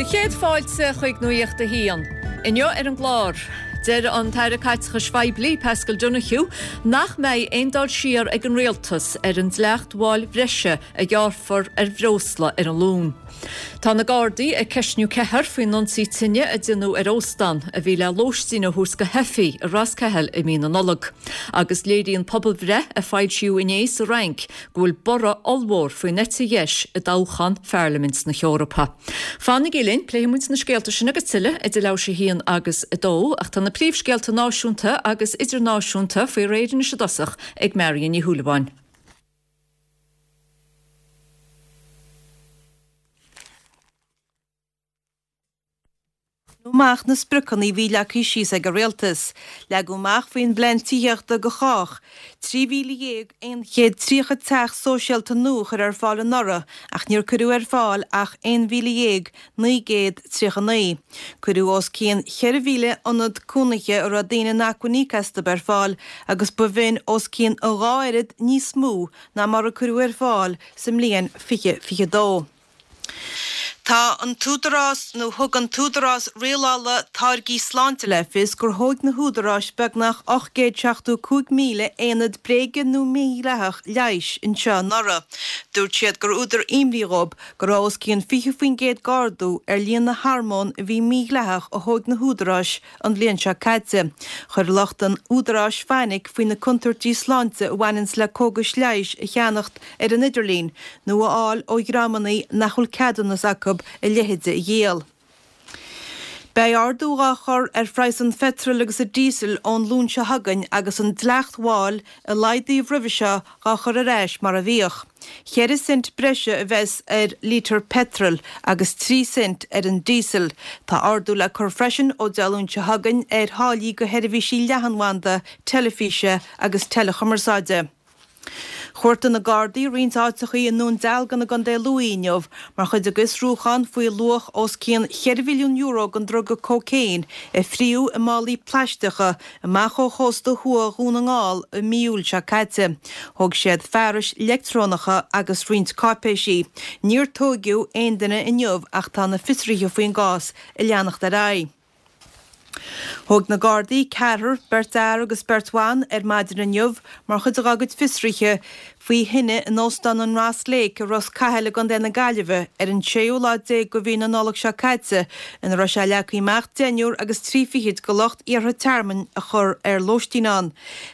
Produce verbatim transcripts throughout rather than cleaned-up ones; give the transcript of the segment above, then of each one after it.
Sé chéad fáilte chuig Nuacht a hAon. Inniu ar an gclár. Deir an tAire Caiteachais Phoiblí Paschal Donohoe nach mbeidh aon dul siar ag an rialtas ar an dleacht mháil bhreise a ghearrfar ar bhreosla ar an Luan. Tá na Gardaí ag ceistniú ceathrar faoin ionsaí tine a deineadh ar óstán a bhí le lóistín a thabhairt do theifigh i Ros Cathail i mí na Nollag. Agus léiríonn pobalbhreith a foilsíodh inné sa Fhrainc go bhfuil borradh ollmhór faoin eite dheis i dtoghchán Pharlaimint na hEorpa. Fanaigí linn, pléifidh muid na scéalta sin agus tuilleadh idir leathuair tar éis a haon agus a dó, ach tá na príomhscéalta náisiúnta agus idirnáisiúnta faoi réir anois i dtosach ag Marion Ní Shúilleabháin. amach na spriocanna a bhí leagtha síos ag an rialtas. Leagadh amach faoin bplean tithíochta do chách, trí mhíle dhéag aon chéad tríocha teach sóisialta nua a chur ar fáil anuraidh ach níor cuireadh ar fáil ach aon mhíle dhéag naoi gcéad tríocha naoi. Cuireadh os cionn cheithre mhíle ionad cónaithe a raibh daoine in acmhainn íoc astu ar fáil agus ba bh'in os cionn a dhá oiread níos mó ná mar a cuireadh ar fáil sa mbliain fiche fiche dó. Tá an tÚdarás nó thug an tÚdarás Rialála Táirgí Sláinte le fios gur thóg na húdaráis beagnach ocht gcéad seachtó cúig míle aonad bréige nó mídhleathach leighis anseo anuraidh. Dúirt siad gur údar imní dhóibh go raibh os cionn fiche faoin gcéad d'ardú ar líon na hormón a bhí mídhleathach a thóg na húdaráis an bhliain seo caite. Chuir lucht an údaráis fainic faoi na contúirtí sláinte a bhaineanns le cógais leighis a cheannacht ar an idirlíon nó a fháil ó dhreamanna nach bhfuil ceadúnas acu a leithéide a dhíol. Beidh ardú dhá chur ar phraghas an pheitril agus an díosail ón Luan seo chugainn agus an dleacht mháil a laghdaíodh roimhe seo dhá chur ar ais mar a bhíodh. Ceithre cent breise a bheas ar lítear peitril agus trí cent ar an díosal. Tá ardú le cur freisin ó Dé Luain seo chugainn ar tháillí do sheirbhísí leathanbhanda, teilifíse agus teileachumarsáide. Chuartaigh na Gardaí roinnt áiteachaí i nDún Dealgan i gContae Lú inniu mar chuid de bhfiosrúchán faoi luach os cionn cheithre mhilliún euro den druga cócaon a fríodh i málaí plaisteacha amach ó chósta thuaidh Dhún na nGall i mí Iúil seo caite. Thóg siad fearais leictreonacha agus roinnt cáipéisí. Níor tóigeadh aon duine inniu ach tá na fiosruithe faoin gcás ag leanacht ar aghaidh. Thóg na Gardaí ceathrar, beirt fhear agus beirt bhan, ar maidin inniu mar chuid dá gcuid fiosruithe faoi thine in Óstán an Ross Lake i Ros Cathail i gContae na Gaillimhe ar an séú lá déag de mhí na Nollag seo caite ina raibh sé leagtha amach deichniúr agus trí fichid de lucht iarrtha tearmainn a chur ar lóistín ann.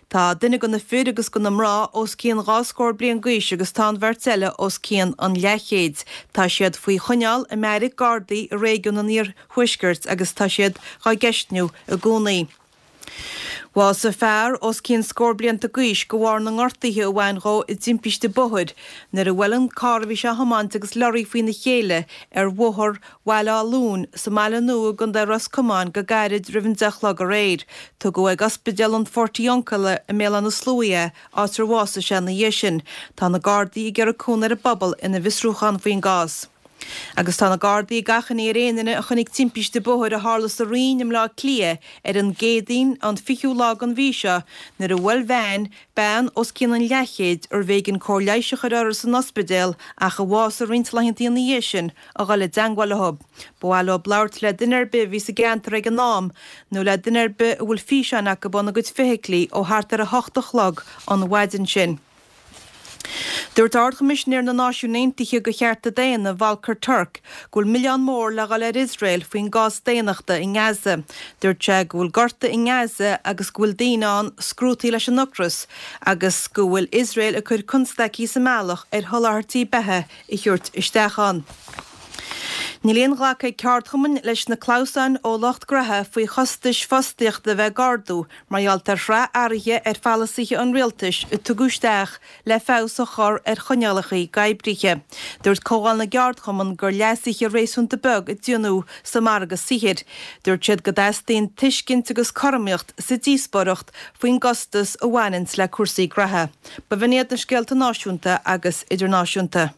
Tá duine de na fir agus de na mná os cionn dhá scór bliain d'aois agus tá an bheirt eile os cionn an leathchéid. Tá siad faoi choinneáil i mbeairic Gardaí i réigiún an Iarthuaiscirt agus tá siad dhá gceistniú i gcónaí. Bhásaigh fear os cionn scór blianta d'aois de bharr na ngortuithe a bhain dhó i dtimpiste bóthair nuair a bhuail an carr a bhí sé a thiomáint agus lorraí faoina chéile ar bhóthar Bhaile Átha Luain sa mBaile Nua i gContae Ros Comáin go gairid roimh an deich a chlog aréir. Tugadh ag Ospidéal an Phortiuncula i mBéal Átha na Sluaighe é, áit ar bhásaigh sé ina dhiaidh sin. Tá na Gardaí ag iarraidh cúnamh ar an bpobal ina bhfiosrúchán faoin gcás. Agus tá na Gardaí ag achainí ar aon duine a chonaic timpiste bóthair a tharla sa Rinn i mBleá Cliath ar an gCéadaoin an fichiú lá den mhí seo nuair a bhuail veain bean os cionn an leathchéid arbh éigean cóir leighis a chur uirthi san ospidéal ach a bhásaigh roinnt laethanta ina dhiaidh sin a dhul i dteangmháil leo. Ba mhaith leo labhairt le duine ar bith a bhí sa gceantar ag an am nó le duine ar bith a bhfuil físeáin acu óna gcuid feithiclí ó thart ar a hocht a chlog an mhaidin sin. Dúirt Ard-Choimisinéir na Náisiún Aontaithe do Chearta Daonna, Volker Turk, go bhfuil milleán mór le dhul ar Iosrael faoin gcás daonnachta i nGaza. Dúirt sé go bhfuil gorta i nGaza agus go bhfuil daoine ann scrúdtaí leis an ocras agus go bhfuil Iosrael ag cur constaicí sa mbealach ar sholáthairtí beatha a thabhairt isteach ann. Níl aon ghlacadh ag ceardchumainn leis na clamhsáin ó lucht graithe faoi chostais fostaíochta a bheith ag ardú mar gheall ar shraith athruithe ar pholasaithe an rialtais a tugadh isteach le feabhas a chur ar choinníollacha d'oibrithe. Dúirt Comhdháil na gCeardchumann gur leasuithe réasúnta beag a déanadh sa margadh saothair. Dúirt siad go dteastaíonn tuiscint agus cothromaíocht sa díospóireacht faoin gcostas a bhaineanns le cúrsaí graithe. Ba bh'in iad na scéalta náisiúnta agus idirnáisiúnta.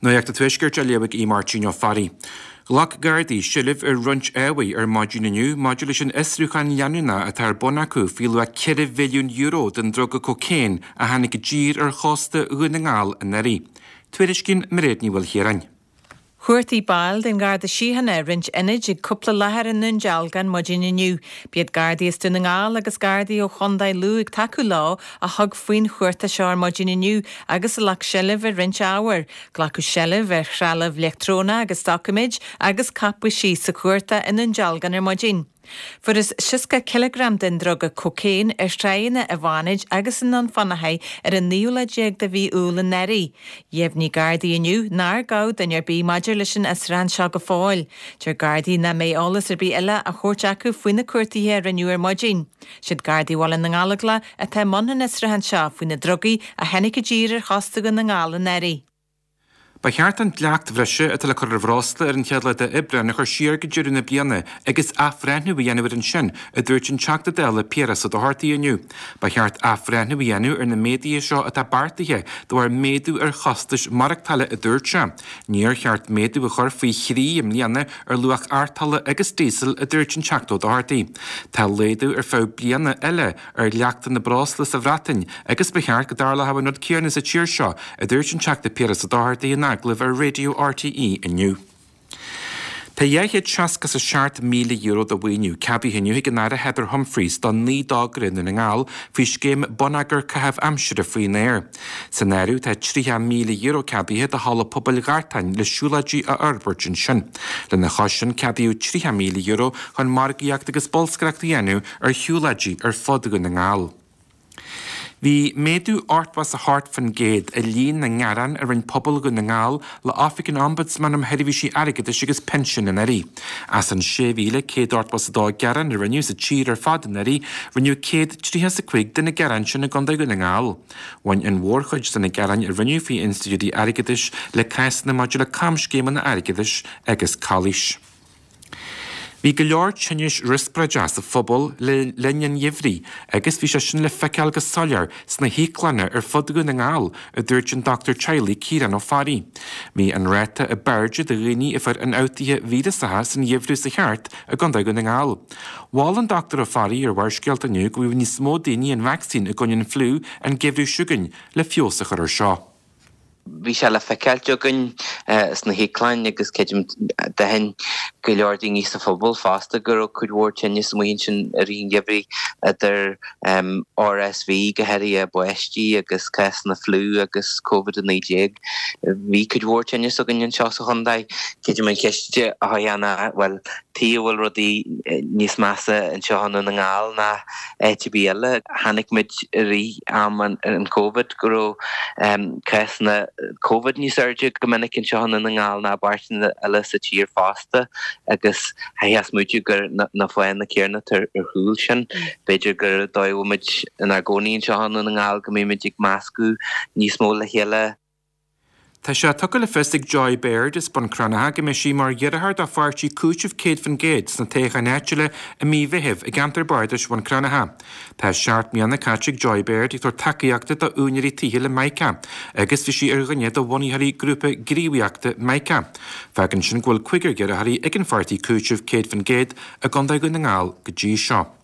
Nuacht an Tuaiscirt á léamh ag Aodh Máirtín Ó Fearraigh. Ghlac Gardaí seilbh ar roinnt ábhair ar maidin inniu maidir leis an fhiosrúchán leanúnach atá ar bun acu faoi luach ceithre mhilliún euro den druga cócaon a tháinig i dtír ar chósta Dhún na nGall anuraidh. Tuairiscíonn Mairéad Ní Mhaoilchiaráin. Chuartaigh baill den Gharda Síochána roinnt ionaid ag cúpla láthair i nDún Dealgan maidin inniu. B'iad Gardaí as Dún na nGall agus Gardaí ó Chontae Lú ag tacú leo a thug faoin chuartach seo ar maidin inniu agus a ghlac seilbh ar roinnt ábhair. Glacadh seilbh ar threalamh leictreonach agus doiciméid agus cáipéisí sa chuartach i nDún Dealgan ar maidin. Fuarthas seasca cileagram den druga cócaon ar thráigheanna i bhFánaid agus i nDún Fionnachaidh ar an naoú lá déag de mhí Iúil anuraidh. Dheimhnigh Gardaí inniu nár gabhadh duine ar bith maidir leis an fhiosrúchán seo go fóill. Deir Gardaí nach mbeidh eolas ar bith eile á thabhairt acu faoi na cuartuithe a rinneadh ar maidin. Siad Gardaí Bhaile na nGallóglach atá i mbun an fhiosrúcháin seo faoi na drugaí a tháinig i dtír ar chósta Dhún na nGall anuraidh. Ba cheart an dleacht bhreise atá le cur ar bhreosla ar an chéad lá d'Aibreán a chur siar go deireadh na bliana agus athbhreithniú a dhéanamh air ansin, a dúirt an Teachta Dála Piaras Ó Dochartaigh inniu. Ba cheart athbhreithniú a dhéanamh ar na méaduithe seo atá beartaithe de bharr méadú ar chostais maireachtála, a dúirt sé. Níor cheart méadú a chur faoi thrí i mbliana ar luach artola agus díosail, a dúirt an Teachta Ó Dochartaigh. Tá laghdú ar feadh bliana eile ar dhleachtanna breosla sa Bhreatain agus ba cheart go dtarlódh an rud céanna sa tír seo, a dúirt an Teachta Piaras Ó Dochartaigh in agallamh ar Raidió RTÉ inniu. Tá dhá chéad seasca is a seacht míle euro de mhaoiniú ceadaithe inniu ag an Aire Heather Humphreys do naoi dtogra i nDún na nGall faoi scéim Bonneagar Caitheamh Aimsire faoin Aer. San áireamh tá tríocha míle euro ceadaithe do Halla Pobail Ghartáin le siúlóidí a fhorbairt ansin. Lena chois sin ceadaíodh tríocha míle euro chun margaíocht agus bolscaireacht a dhéanamh ar shiúlóidí ar fud Dhún na nGall. Bhí méadú ochtó is a hocht faoin gcéad i líon na ngearán a rinne pobal Dhún na nGall le Oifig an Ombudsman um Sheirbhísí Airgeadais agus Pinsin anuraidh. As an sé mhíle céad ochtó is a dó gearán a rinneadh sa tír ar fad anuraidh, rinneadh céad tríocha is a cúig de na gearáin sin i gContae Dhún na nGall. Bhain an mhórchuid de na gearáin a rinneadh faoi institiúidí airgeadais le cásanna maidir le camscéimeanna airgeadais agus calaois. Bhí go leor tinnis riospráide sa phobal le linn an gheimhridh agus bhí sé sin le feiceáil go soiléir sna híoclanna ar fud Dhún na nGall, a dúirt an dochtúir teaghlaigh Ciarán Ó Fearraigh. Bhí an ráta ab airde de dhaoine a fuair ionfhabhtuithe víreasacha san gheimhreadh sa cheart i gContae Dhún na nGall. Mhol an Dochtúir Ó Fearraigh ar Bharrscéalta inniu go bhfaigheadh níos mó daoine an vacsaín i gcoinne an fliú an geimhreadh seo chugainn le feabhas a chur air seo. Bhí sé le feiceáilt againn sna híoclainn agus creidim d'aithin go leor daoine sa phobal fosta go raibh cuid mhór tinneas amuigh ansin i rith an gheimhridh idir RSV go háirithe i bpáistí agus cásanna fliú agus Covid a naoi déag. Bhí cuid mhór tinneas againn anseo sa chontae. Creidim an cheist atá ann ná bhuel tuige a bhfuil rudaí níos measa anseo i nDún na nGall ná áit ar bith eile. Chonaic muid i rith am an Covid go raibh cásanna Covid níos airde go minic anseo i nDún na nGall ná i bpáirteanna eile sa tír fosta agus chaithfeá smaoitiú gur na fáthanna céanna atá ar chúl sin. B'fhéidir gur dóigh a bhfuil muid inár gcónaí anseo i nDún na nGall go mbímid ag meascadh níos mó le chéile. Tá sé tugtha le fios ag Joy Baird as Bun Cranncha go mbeidh sí mar iarrthóir do pháirtí Cúiteamh céad faoin gcéad sna toghcháin áitiúla i mí Mheithimh i gceantar bardais Bhun Cranncha. Tá seacht mbliana caite ag Joy Baird ag tabhairt tacaíochta do úinéirí tithe le Mica agus bhí sí ar dhuine de bhunaitheoirí grúpa gníomhaíochta Mica. Fágann sin go bhfuil cúigear iarrthóirí ag an pháirtí Cúiteamh céad faoin gcéad i gContae Dhún na nGall go dtí seo.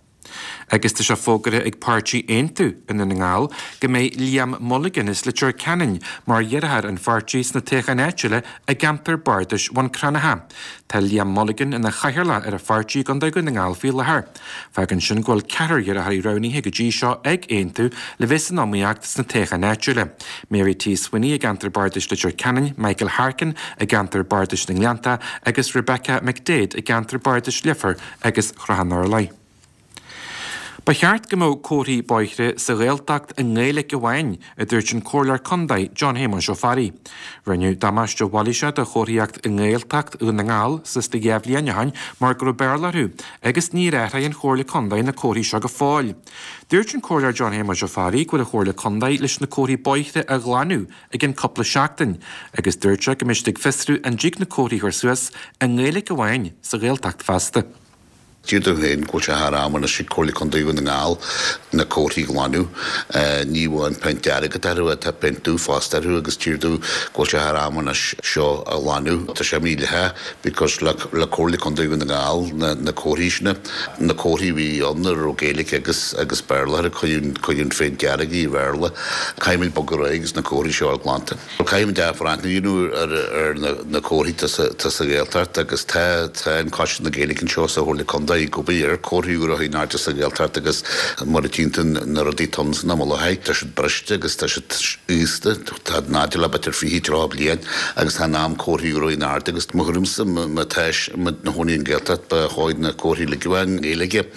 Agus tá sé fógartha ag páirtí Aontú i nDún na nGall go mbeidh Liam Mulligan as Leitir Ceanainn mar iarrthóir an pháirtí sna toghcháin áitiúla i gceantar bardais Bhun Cranncha. Tá Liam Mulligan ina chathaoirleach ar an pháirtí i gContae Dhún na nGall faoi láthair. Fágann sin go bhfuil ceathrar iarrthóirí roghnaithe go dtí seo ag Aontú le bheith san iomaíocht sna toghcháin áitiúla. Mary T. Sweeney i gceantar bardais Leitir Ceanainn, Michael Harkin i gceantar bardais na nGleannta agus Rebecca McDade i gceantar bardais Leifear agus Shrath an Urláir. Ba cheart go mbeadh comharthaí bóithre sa Ghaeltacht i nGaeilge amháin, a dúirt an Comhairleoir Contae John Shéamuis Ó Fearraigh. Rinneadh damáiste mhailíseach do chomharthaíocht i nGaeltacht Dhún na nGall suas le dhá bhliain ó shin mar go raibh Béarla orthu agus níor athraigh an Chomhairle Contae na comharthaí seo go fóill. Dúirt an Comhairleoir John Shéamuis Ó Fearraigh go bhfuil an Chomhairle Contae leis na comharthaí bóithre a ghlanadh i gcionn cúpla seachtain agus dúirt sé go mbeidh siad ag fiosrú an dtig na comharthaí a chur suas i nGaeilge amháin sa Ghaeltacht feasta. Deir dom féin go bhfuil sé thar am anois ag Comhairle Contae Dhún na nGall na comharthaí a ghlanadh. Ní amháin péint dearg atá orthu, tá péint dubh fosta orthu agus deir dom go bhfuil sé thar am anois seo a ghlanadh. Tá sé mídhleathach because le le Comhairle Contae Dhún na nGall na na comharthaí sin, na comharthaí a bhí ann a raibh Gaeilge agus agus Béarla orthu, cuireadh cuireadh an phéint dearg i Bhéarla. Caithfimid bogadh ar aghaidh agus na comharthaí seo a fháil glanta. Caithfimid athbhreithniú a dhéanamh ar ar na na comharthaí atá sa tá sa Ghaeltacht agus tá tá an Coiste na Gaeilge anseo sa Chomhairle Contae ag obair ar chomharthaí úra in airde sa Ghaeltacht agus mar a tchíonn tú na rudaí atá ann san am i láthair, tá siad briste agus tá siad aosta, tá in airde le b'fhéidir fiche tríocha bliain agus tá in am comharthaí úra in airde agus mo thuairimse má tá muid ina chónaí i nGaeltacht ba chóir na comharthaí uilig a bheith i nGaeilge.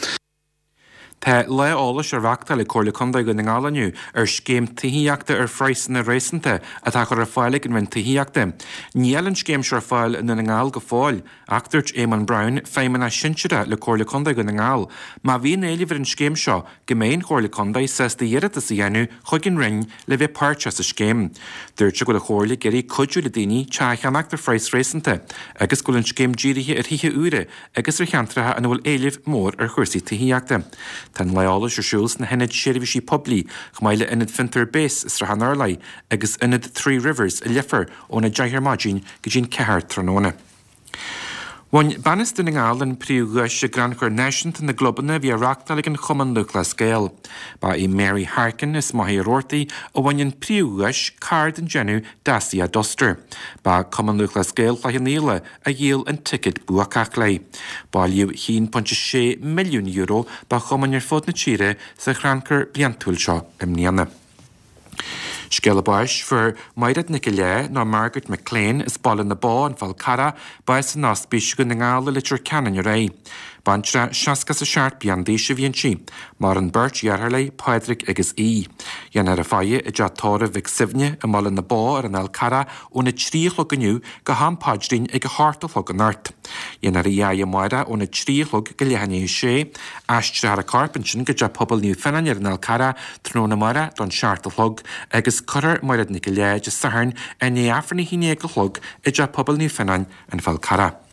Tá lá eolais á reáchtáil ag Comhairle Contae Dhún na nGall inniu ar scéim tithíochta ar phraghsanna réasúnta atá á chur ar fáil ag an Roinn Tithíochta. Níl an scéim seo ar fáil i nDún na nGall go fóill, ach dúirt Éamonn Brown, Feidhmeannach Sinsearach le Comhairle Contae Dhún na nGall, má bhíonn éileamh ar an scéim seo, go mbeidh an Chomhairle Contae sásta iarratas a dhéanamh chuig an Roinn le bheith páirteach sa scéim. Dúirt sé go bhfuil an Chomhairle ag iarraidh cuidiú le daoine teach a cheannacht ar phraghas réasúnta agus go bhfuil an scéim dírithe ar thithe úra agus ar cheantracha ina bhfuil éileamh mór ar chúrsaí tithíochta. Tá an lá eolais ar siúl sna hionaid seirbhísí poiblí, chomh maith le Ionad Fiontar Base i Srath an Urláir agus Ionad Three Rivers i Leifear óna deich ar maidin go dtí'n ceathair tráthnóna. Bhain bean as Dún na nGall an príomhdhuais i gCrannchur Náisiúnta na gClubanna a bhí á reáchtáil ag an Chumann Lúthchleas Gael. Ba í Mary Harkin as Machaire Rabhartaigh a bhain an príomhdhuais, carr den déanamh Dacia Duster. Ba Cumann Lúthchleas Gael Chloich Cheann Fhaola a dhíol an ticéad buacach léi. Bailíodh a haon pointe sé milliún euro do chumainn ar fud na tíre sa chrannchur bliantúil seo i mbliana. Scéala báis, Fuair Mairéad Nic Léith nó Margaret McLean as Baile na Bó, An Fál Carrach, bás in Ospís Dhún na nGall i Leitir Ceanainn aréir. Baintreach seasca is a seacht bliain d'aois a bhí inti. Maireann beirt dheartháir léi, Pádraig agus Aodh. Déanfar a faire i dteach tórraimh Mhic Suibhne i mBaile na Bó ar an Fhál Carrach óna trí a chlog inniu go ham paidrín ag a hocht a chlog anocht. Déanfar í a fhaire amárach óna trí a chlog go leath i ndiaidh a sé. Aistreofar a corp ansin go dteach pobail Naomh Fionnán ar an Fhál Carrach tráthnóna amárach don seacht a chlog agus cuirfear Mairéad Nic an Léith Dé Sathairn i ndiaidh Aifreann a haon déag a chlog i dteach pobail Naomh Fionnán, An Fál Carrach.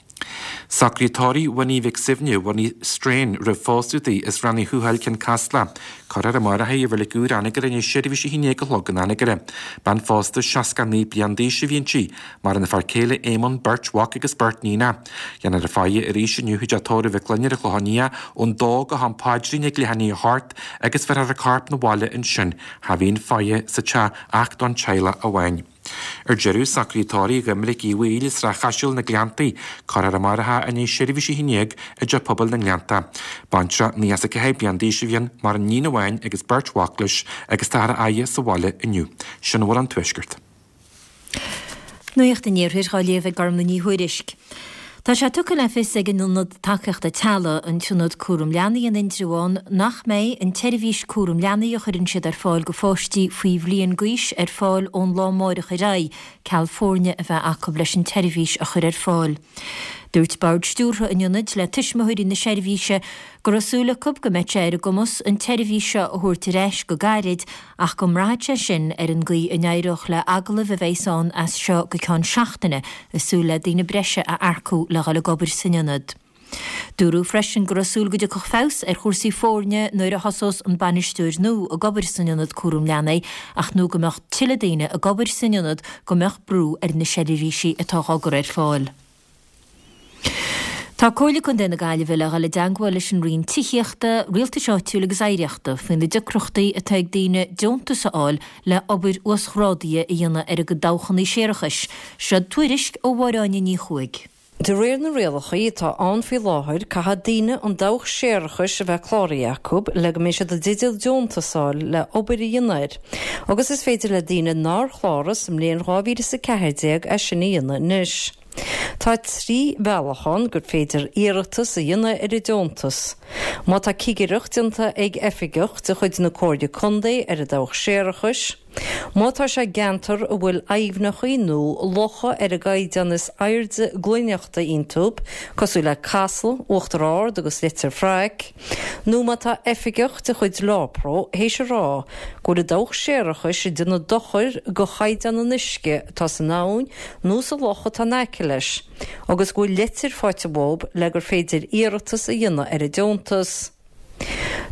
Socruithe tórraimh Winnie Mhic Suibhne, Winnie Strain, roimh phósadh di, as Rann Uí Thuathail, Cionn Caslach. Cuirfear amárach í i Reilig Úr Anagaire i ndiaidh seirbhís a haon déag a chlog in Anagaire. Bean phósta seasca naoi bliain d'aois a bhí inti. Maireann a fear céile Éamonn, beirt mhac agus beirt níonach. Déanfar a faire arís inniu i dteach tórraimh Mhic Fhloinn ar an Chlochán Liath ón dó go ham paidrín ag leath i ndiaidh a hocht agus bheirfear a corp 'na bhaile ansin. Cha bhíonn faire sa teach ach don teaghlach amháin. Ar deireadh, socruithe tórraimh Dhoiminic Uí Bhaoill as Srath Chaisil, Na Gleanntaí, cuirfear amárach í i ndiaidh seirbhís a haon déag i dteach pobail na nGleannta. Baintreach naocha is a ceathair bliain d'aois a bhí ann, maireann iníon amháin agus beirt mhac leis agus táthar á fhaire sa bhaile inniu. Sin a bhfuil ón Tuaisceart. Nuacht an Iarthair á léamh ag Gormlaith Ní Thuairisg. Tá sé tugtha le fios ag an Ionad Tacaíochta Teaghlaigh, an tIonad Cúram Leanaí in Indreabhán, nach mbeidh an tseirbhís cúram leanaí a chuireann siad ar fáil go pháistí faoi bhliain d'aois ar fáil ón lá amáireach ar aghaidh, ceal foirne a bheith acu leis an tseirbhís a chur ar fáil. Dúirt bord stiúrtha an ionaid le tuismitheoirí na seirbhíse go raibh súil acu go mbeadh sé ar a gcumas an tseirbhís seo a thabhairt ar ais go gairid ach go mbraithfeadh sé sin ar an gcaoi a n-éireodh le agallaimh a bheas ann as seo go ceann seachtaine ag súil le daoine breise a earcú le dhul ag obair san ionad. Dúradh freisin go raibh súil go dtiocfadh feabhas ar chúrsaí foirne nuair a thosós an bainisteoir nua ag obair san ionad cúram leanaí ach nó go mbeadh tuilleadh daoine ag obair san ionad go mbeadh brú ar na seirbhísí atá á gcur ar fáil. Tá Comhairle Contae na Gaillimhe le dhul i dteagmháil leis an Roinn Tithíochta, Rialtais Áitiúil agus Oidhreachta faoi na deacrachtaí atá ag daoine deontas a fháil le obair uasghrádaithe a dhéanamh ar a gcuid dabhchanna séarachais. Seo tuairisc ó Mháire Áine Ní Chuaig. De réir na rialacha atá ann faoi láthair, caithfidh daoine an dabhach séarachais a bheith cláraithe acu le go mbeidh siad i dteideal deontas a fháil le obair a dhéanamh air, agus is féidir le daoine nár chláraigh sa mbliain dhá mhíle is a ceathair déag é sin a dhéanamh anois. Tá trí bhealach ann gur féidir iarratas a dhéanamh ar an deontas. Má tá cigireacht déanta ag oifigeach de chuid na Comhairle Contae ar an dabhach séarachais, Má tá sé i gceantar a bhfuil aibhneachaí nó locha ar an gcaighdeán is airde glaineachta iontu, cosúil le Casla, Uachtar Ard agus Leitir Fraic, nó má tá oifigeach de chuid LawPro théis a rá go bhfuil a dabhach séarachais ag déanamh dochair go chaighdeán an uisce atá san abhainn nó sa loch atá in aice leis, agus go bhfuil litir faighte uathu le gur féidir iarratas a dhéanamh ar an deontas.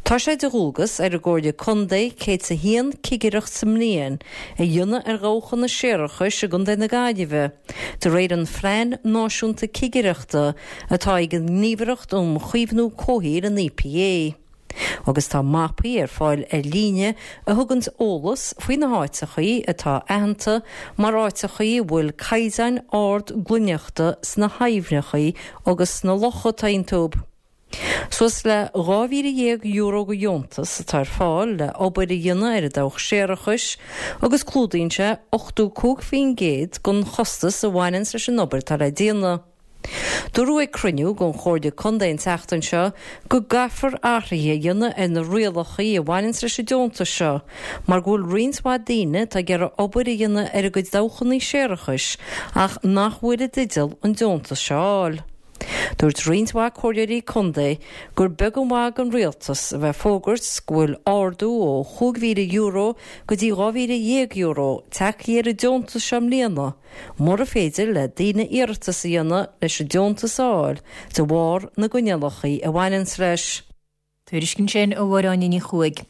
Tá sé de dhualgas ar an gComhairle Contae céad is a haon cigireacht sa mbliain a dhéanamh ar dhabhchanna séarachais i gContae na Gaillimhe, de réir an Phlean Náisiúnta Cigireachta atá ag an nGníomhaireacht um Chaomhnú Comhshaoil, an EPA. Agus tá mapaí ar fáil ar líne a thuganns eolas faoi na háiteachaí atá aitheanta mar áiteachaí a bhfuil caighdeáin ard glaineachta sna haibhneachaí agus sna locha atá iontu. Suas le dhá mhíle dhéag euro de dheontas atá ar fáil le obair a dhéanamh ar an dabhach séarachais agus clúdaíonn sé ochtó cúig faoin gcéad den chostas a bhaineanns leis an obair atá le déanamh. Dúradh ag cruinniú den Chomhairle Contae an tseachtain seo go gcaithfear athruithe a dhéanamh ar na rialachaí a bhaineanns leis an deontas seo mar go bhfuil roinnt mhaith daoine atá ag iarraidh obair a dhéanamh ar a gcuid dabhchannaí séarachais ach nach bhfuil i dteideal an deontas seo a fháil. Dúirt roinnt mhaith comhairleoirí contae gur beag an mhaith don rialtas a bheith ag fógairt go bhfuil ardú ó chúig mhíle euro go dtí dhá mhíle dhéag euro tagtha ar an deontas seo i mbliana mura féidir le daoine iarratas a dhéanamh leis an deontas a fháil de bharr na gcoinníollacha a bhaineanns leis. Tuairisc ansin ó Mháire Áine Ní Chuaig.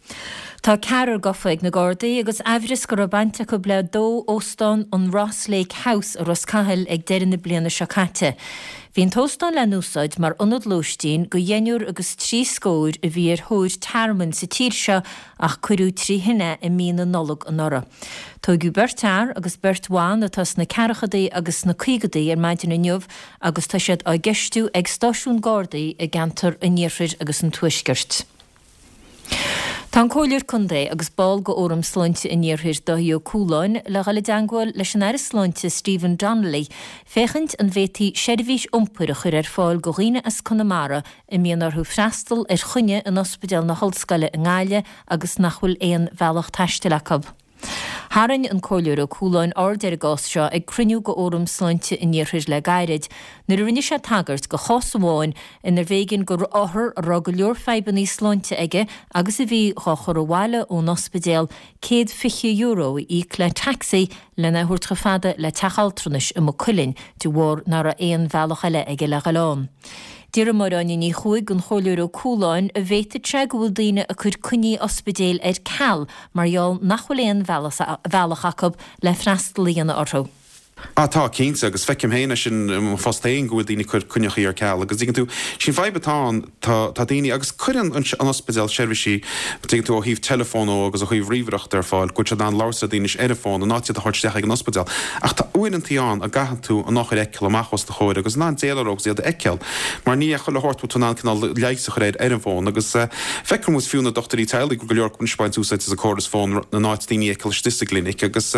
Tá ceathrar gafa ag na Gardaí agus aimhreas go raibh baint acu le dó óstán an Ross Lake House i Ros Cathail ag deireadh na bliana seo caite. Bhí an t-óstán le n-úsáid mar ionad lóistín go dheichniúr agus trí scór a bhí ar thóir tearmainn sa tír seo ach cuireadh trí thine i mí na Nollag anuraidh. Tóigeadh beirt fhear agus beirt bhan atá sna ceathrachaidí agus sna caogaidí ar maidin inniu agus tá siad á gceistiú ag stáisiún Gardaí i gceantar an Iarthair agus an Tuaiscirt. Tá an Comhairleoir Contae agus ball de Fhóram Sláinte an Iarthair, Dáithí Ó Cualáin, le dhul i dteangmháil leis an Aire Sláinte Stephen Donnelly féachaint an bhféadfaí seirbhís iompair a chur ar fáil go dhaoine as Conamara a mbíonn orthu freastal ar choinne in Ospidéal na hOllscoile i nGaillimh agus nach bhfuil aon bhealach taistil acu. Tharraing an Comhairleoir Ó Cualáin aird ar an gcás seo ag cruinniú de Fhóram Sláinte an Iarthair le gairid, nuair a rinne sé tagairt go chás amháin inar bh'éigean go othar a raibh go leor fadhbannaí sláinte aige agus a bhí dhá chur abhaile ón ospidéal céad fiche euro a íoc le taxi lena thabhairt chomh fada le teach altranais i Maigh Cuilinn de bharr nach raibh aon bhealach eile aige le dhul ann. D'iarr Máire Áine Ní Chuaig den Chomhairleoir Ó Cualáin an bhféadfadh sé go bhfuil daoine ag cur coinní ospidéil ar ceal mar gheall nach bhfuil aon bhealach acu le freastal a dhéanamh orthu. Ah tá, cinnte, agus feicim féin é sin i mo phost féin go bhfuil daoine ag cur coinneachaí ar ceal agus tuigeann tú, sin fadhb atá ann, tá tá daoine, agus cuireann an an ospidéal seirbhísí, tuigeann tú, ó thaobh teileafóin ó agus ó thaobh ríomhaireachta ar fáil, go bhfuil siad in ann labhairt le daoine ar an bhfón in áit iad a thabhairt isteach ag an ospidéal. Ach tá uaireantaí ann a gcaitheann tú an othar a fheiceáil amach os do chomhair agus in ann déileáil leo agus iad a fheiceáil mar ní chuile shórt bhfuil tú in ann cineál leigheas a chur air ar an bhfón agus feiceann muid fiú na dochtúirí teaghlaigh go leor acu anois ag baint úsáid as an córas fón in áit daoine a fheiceáil istigh sa gclinic agus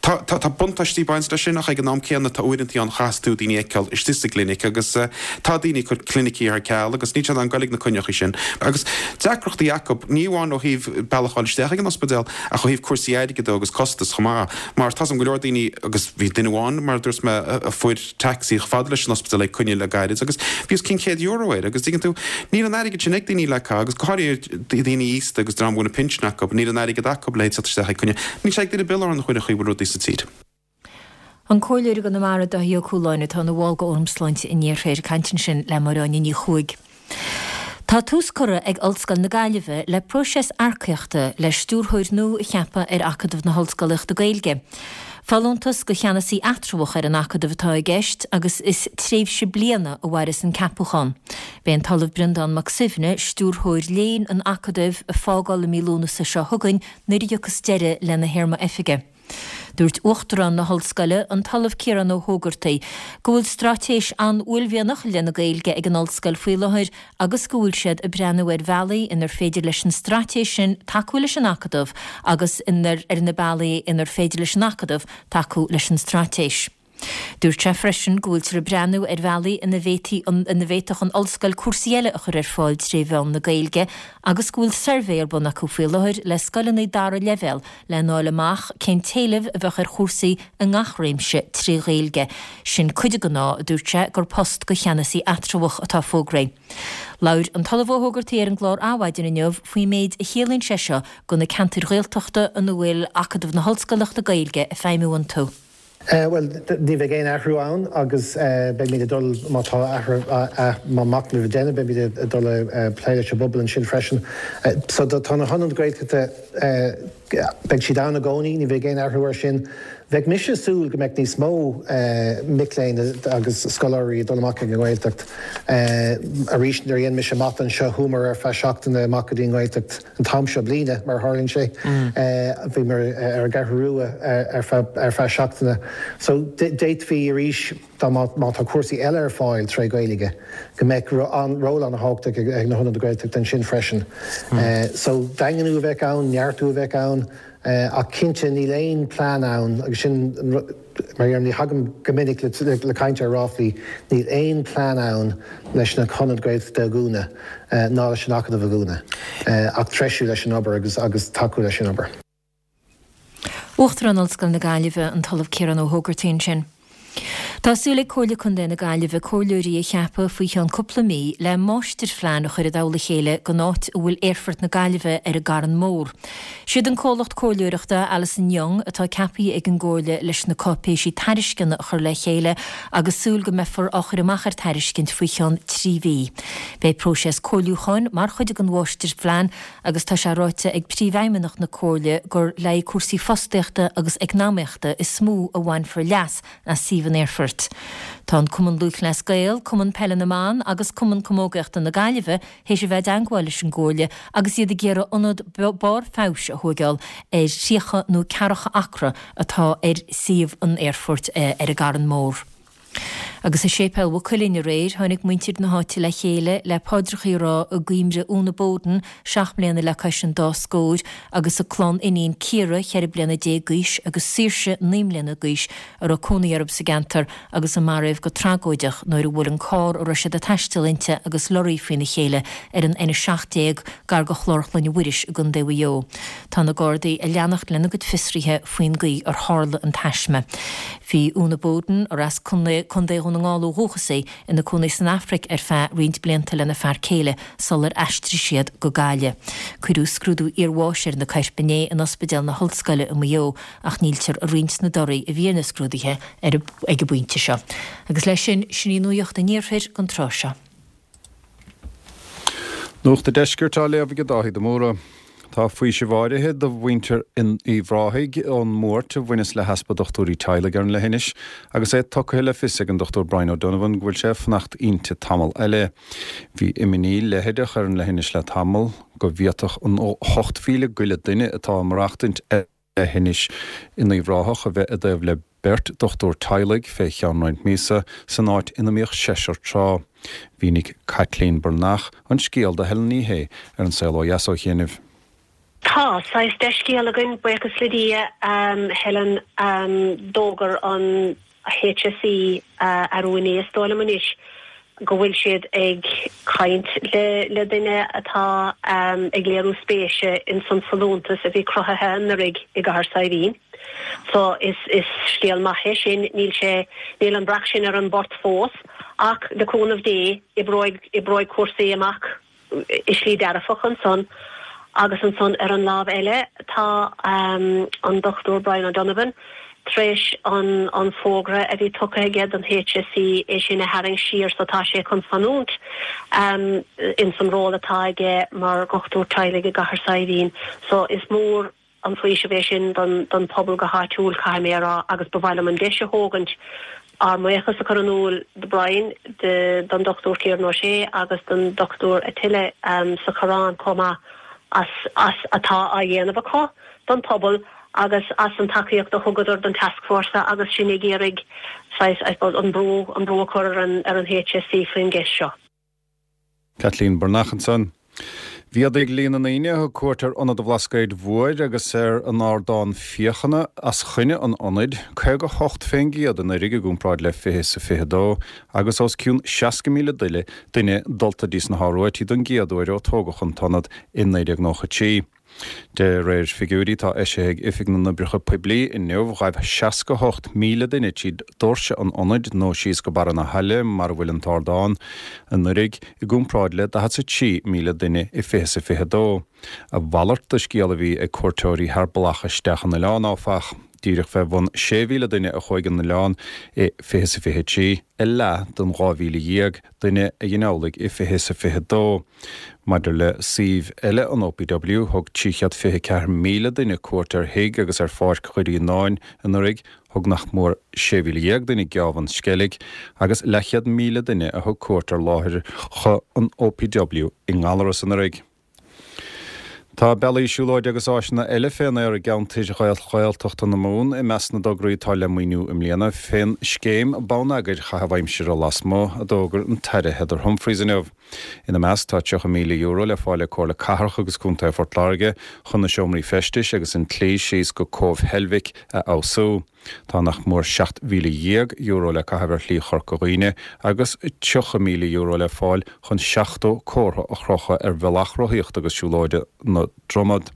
tá tá tá buntáistí ag baint leis sin ach ag an am céanna tá uaireantaí ann chaithfeas tú daoine a fheiceáil istigh sa gclinic agus tá daoine ag cur clinicí ar ceal agus níl siad in ann goil ag na coinneachaí sin agus deacrachtaí acu ní amháin ó thaobh bealach a fháil isteach ag an ospidéal ach ó thaobh cúrsaí airgid de agus costas chomh maith mar tá 's agam go leor daoine agus bhí duine amháin mar a dúirt mé a fuair taxi chomh fada leis an ospidéal ag coinne le gairid agus bhí os cionn céad euro air agus tuigeann tú níl an airgead sin ag daoine le caitheamh agus go háirithe daoine aosta agus dream a bhfuil na pinsin acu níl an airgead acu le teacht isteach ag coinne níl sé ag duine bill ar an chuid a chaoi bhfuil rudaí sa tír. An Comhairleoir i gConamara Dáithí Ó Cualáin atá ina bhall de Fhóram Sláinte an Iarthair ag caint ansin le Máire Áine Ní Chuaig. Tá tús curtha ag Ollscoil na Gaillimhe le próiseas earcaíochta le stiúrthóir nua a cheapadh ar Acadamh na hOllscolaíochta Gaeilge. Folúntas go cheannasaí eatramhach ar an Acadamh atá i gceist agus is tréimhse bliana a mhairfeas an ceapachán. Beidh an tOllamh Breandán Mac Suibhne, stiúrthóir léinn an Acadaimh, ag fágáil i mí Lúnasa seo chugainn nuair a thiocfas deireadh lena théarma oifige. Dúirt Uachtarán na hOllscoile, an tOllamh Ciarán Ó hÓgartaigh, go bhfuil straitéis an-uaillmhianach i leith na Gaeilge ag an Ollscoil faoi láthair agus go bhfuil siad ag breathnú ar bhealaí inar féidir leis an straitéis sin tacú leis an Acadamh agus inar ar na bealaí inar féidir leis an Acadamh tacú leis an straitéis. Dúirt sé freisin go bhfuiltear ag breathnú ar bhealaí ina bhféadfadh an ollscoil cúrsaí eile a chur ar fáil tré mheán na Gaeilge agus go bhfuil suirbhé ar bun acu faoi láthair le scoileanna dara leibhéal lena fháil amach cén t-éileamh a bheadh ar chúrsaí i ngach réimse trí Ghaeilge. Sin cuid den fháth, a dúirt sé, gur post do cheannasaí eatramhach atá fógraithe. Labhair an tOllamh Ó hÓgartaigh ar an gclár Adhmhaidin inniu faoin méid a chiallaíonn sé seo do na ceantair Ghaeltachta ina bhfuil Acadamh na hOllscoileachta Gaeilge ag feidhmiú iontu. Bhuel, ní bheidh aon athrú ann agus beimid ag dul, má tá athrú, má machnamh a déanamh, beimid ag dul a plé leis an bpobal ansin freisin. So tá na hionaid Ghaeltachta, beidh siad ann i gcónaí, ní bheidh aon athrú air sin. Bheadh mise ag súil go mbeadh níos mó mic léinn agus scoláirí ag dul amach ag an nGaeltacht. Arís, nuair a dhein mise mata anseo, chuamar ar feadh seachtaine amach go dtí an Ghaeltacht an t-am seo bliana, mar a tharlaíonn sé. Bhíomar ar an gCeathrú Rua ar feadh seachtaine. So d'fhéadfaí arís, dá má tá cúrsaí eile ar fáil tré Ghaeilge, go mbeadh ról an-thábhachtach ag na hionaid Ghaeltachta ansin freisin. So daingniú a bheadh ann, neartú a bheadh ann. Ach cinnte, níl aon plean ann, agus sin mar a deirim, ní thagaim go minic le caint ar ráflaí, níl aon plean ann leis na hionaid Ghaeltachta a dhúnadh ná leis an Acadamh a dhúnadh, ach treisiú leis an obair agus agus tacú leis an obair. Uachtarán Ollscoil na Gaillimhe, an tOllamh Ciarán Ó hÓgartaigh ansin. Tá súil ag Comhairle Contae na Gaillimhe comhairleoirí a cheapadh faoi cheann cúpla mí le máistirphlean a chur i dtoll a chéile don áit a bhfuil Aerfort na Gaillimhe ar an gCarn Mór. Siad an comhlacht comhairleoireachta Alison Young atá ceaptha ag an gComhairle leis na cáipéisí tairisceana a chur le chéile agus súil go mbeifear á chur amach ar tairiscint faoi cheann trí mhí. Beidh próiseas comhairliúcháin mar chuid den mháistirphlean agus tá sé ráite ag Príomhfheidhmeannach na Comhairle gur le haghaidh cúrsaí fostaíochta agus eacnamaíochta is mó a bhainfear leas as suíomh an aerfoirt. Tá an Cumann Lúthchleas Gael, Cumann Peile na mBan agus Cumann Camógaíochta na Gaillimhe théis a bheith i dteangmháil leis an gComhairle agus iad ag iarraidh ionad barr feabhais a thóigeáil ar thríocha nó ceathracha acra atá ar suíomh an aerfoirt ar an gCarn Mór. Agus i Séipéal Mhaigh Cuilinn aréir, tháinig muintir na háite le chéile le paidreachaí a rá i gcuimhre Úna Bowden, seacht mbliana le cois an dá scór, agus a clann iníon Ciara, ceithre bliana déag d'aois, agus Saoirse, naoi mbliana d'aois, a raibh cónaí orthu sa gceantar agus a maraíodh go tragóideach nuair a bhuail an carr a raibh siad ag taisteal inti agus lorraí faoina chéile ar an N a seacht déag gar do Chlár Chlainne Mhuiris i gContae Mhaigh Eo. Tá na Gardaí ag leanacht lena gcuid fiosruithe faoin gcaoi ar tharla an taisme. Bhí Úna Bowden, ar as Contae Dhún na nGall ó dhúchas í, ina cónaí san Afraic ar feadh roinnt blianta lena fear céile sular aistrigh siad go Gaillimh. Cuireadh scrúdú iarbháis ar na coirp inné in Ospidéal na hOllscoile i Maigh Eo ach níltear ag roinnt na dtorthaí a bhí ar na scrúduithe ag an bpointe seo. Agus leis sin, sin í nuacht an Iarthair don tráth seo. Nuacht an Deiscirt á léamh ag Dáithí de Mórdha. Tá faoiseamh áirithe do mhuintir Uíbh Ráthaigh ón mbuairt a bhaineas le heaspa dochtúirí teaghlaigh ar an leithinis agus é tugtha le fios ag an Dochtúir Brian O'Donovan go bhfuil sé ag fanacht inti tamall eile. Bhí imní leitheadach ar an leithinis le tamall go bhféadfadh an ocht mhíle go leith duine atá ag maireachtaint ar an leithinis in Uíbh Ráthach a bheith i dtaobh le beirt dochtúir teaghlaigh fé cheann roinnt míosa san áit ina mbíodh seisear tráth. Mhínigh Caitlín Breathnach an scéal do Helen Ní Shé ar An Saol Ó Dheas ó chianaibh. Tá saghas dea-scéal againn, buíochas le Dia, Helen. D'fhógair an HSE arú inné, is dóigh liom anois, go bhfuil siad ag caint le duine atá ag léiriú spéise ins an folúntas a bhí cruthaithe anuraidh i gCathair Saidhbhín. So is is scéal maith é sin. Níl sé, níl an breac sin ar an bport fós ach le cúnamh Dé oibreoidh oibreoidh cúrsaí amach i slí dearfach ansan agus ansan ar an lámh eile tá an Dochtúir Brian O'Donovan tar éis an an fógra a bhí tugtha aige don HSE é sin a tharraingt siar so tá sé chun fanúint ins an ról atá aige mar dhochtúir teaghlaigh i gCathair Saidhbhín so is mór an faoiseamh é sin don don phobal go háitiúil caithfidh mé a rá agus ba mhaith liom an deis a thógaint ár mbuíochas a chur in iúl do Brian, don Dochtúir Kieran O'Shea agus don Dochtúir Attila sa Choireán chomh maith as as atá á dhéanamh acu don phobal agus as an tacaíocht a thugadar don tascfhórsa agus sinn ag iarraidh saghas, I suppose, an brú an brú a chur ar an ar an HSE faoin gceist seo. Caitlín Breathnach ansan. Mhéadaigh líon na ndaoine a thug cuairt ar Ionad an Bhlascaoid Mhóir agus ar an ardán féachana as choinne an ionaid, caoga a hocht fén gcéad anuraidh i gcomparáid le fiche is a fiche dó, agus os cionn seasca míle duine dulta dtí sna hIoruaití don gcéad uair ó tógadh an t-ionad i naoi déag nócha trí. De réir figiúirí atá eisithe ag Oifig na nOibreacha Poiblí inniu, ghaibh seasca a hocht míle duine tríd doirse an ionaid nó síos go barra na haille mar a bhfuil an t-ardán, anuraidh, i gcomparáid le daichead 's a trí míle duine i fiche 's a fiche dó. A mhalairt de scéal a bhí ag cuairteoirí thar bealach isteach an oileán, áfach. Díreach fé bhun sé mhíle duine a chuaigh an oileán i fiche 's a fiche trí, a leath den dhá mhíle dhéag duine a dhein amhlaidh i fiche 's a fiche dó. Maidir le suímh eile an OPW, thug trí chéad fiche ceathair míle duine cuairt ar Thigh agus ar Pháirc Dhoirí Fhíonáin anuraidh, thug nach mór sé mhíle dhéag duine geábh an Sceilg agus leathchéad míle duine a thug cuairt ar láithreacha an OPW i nGallaras anuraidh. Tá bealaí siúlóide agus áiseanna eile fén aer i gceantair Ghaeltachta na Mumhan i measc na dtograí atá le maoiniú i mbliana fén scéim bonneagair chaitheamh aimsire lasmuigh, a d'fhógair an tAire Heather Humphreys inniu. Ina measc tá tríocha míle euro le fáil ag Comhairle Cathrach agus Contae Phort Láirge chun na seomraí feistis agus an tslí síos go Cóbh Heilbhic a fheabhsú. Tá nach mór seacht mhíle dhéag euro le caitheamh ar Shlí Chorca Dhuibhne agus tríocha míle euro le fáil chun seachtó comhartha a chrochadh ar bhealach rothaíochta agus siúlóide na Dromad.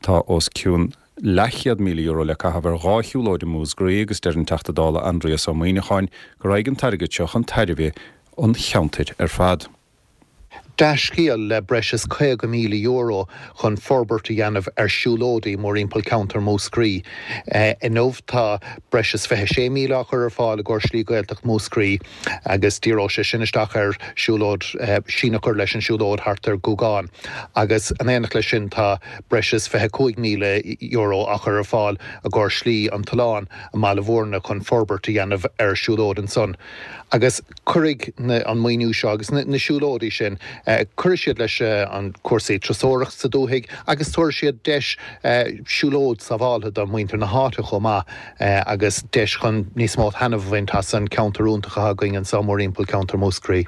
Tá os cionn leathchéad míle euro le caitheamh ar dhá shiúlóid i Múscraí agus deir an Teachta Dála Aindrias Ó Muimhneacháin go raghaidh an t-airgead seo chun tairbhe an cheantair ar fad. Dea-scéal le breis is caoga míle euro chun forbairt a dhéanamh ar siúlóidí mórthimpeall ceantar Mhúscraí. Inniu tá breis is fiche sé míle á chur ar fáil i gcomhair Slí Gaeltacht Mhúscraí agus díreoidh sé sin isteach ar siúlóid, síneadh a chur leis an siúlóid thart ar Ghúgán agus in éineacht leis sin tá breis is fiche cúig míle euro á chur ar fáil i gcomhair Slí an tSuláin i mBaile Mhúirne chun forbairt a dhéanamh ar siúlóid ansan. Agus cuirfidh an maoiniú seo agus na siúlóidí sin, cuirfidh siad leis an cúrsaí turasóireacht sa dúthaigh agus tabharfaidh siad deis siúlóid sábháltha do mhuintir na háite chomh maith agus deis chun níos mó taitneamh a bhaint as an ceantar iontach atá againn anseo mórthimpeall ceantar Mhúscraí.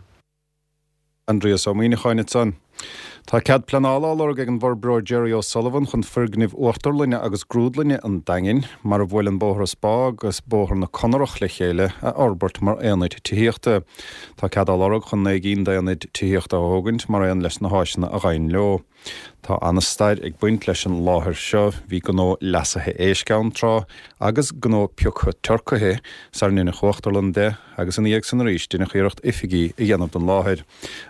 Aindrias Ó Muimhneacháin ansan. Tá cead pleanála á lorg ag an bhforbróir Jerry O'Sullivan chun foirgnimh uachtarlainne agus grúdlainne an Daingin, mar a bhuaileann Bóthar an Spá agus Bóthar na Conarach le chéile, a fhorbairt mar aonaid tithíochta. Tá cead á lorg chun naoi gcinn d'aonaid tithíochta a thógaint mar aon leis na háiseanna a ghabhann leo. Tá an-stair ag baint leis an láthair seo, bhí gnó leasaithe éisc ann tráth agus gnó pioctha turcaithe sar ndeineadh uachtarlann de agus ina dhiaidh san arís deineadh iarracht oifigí a dhéanamh den láthair.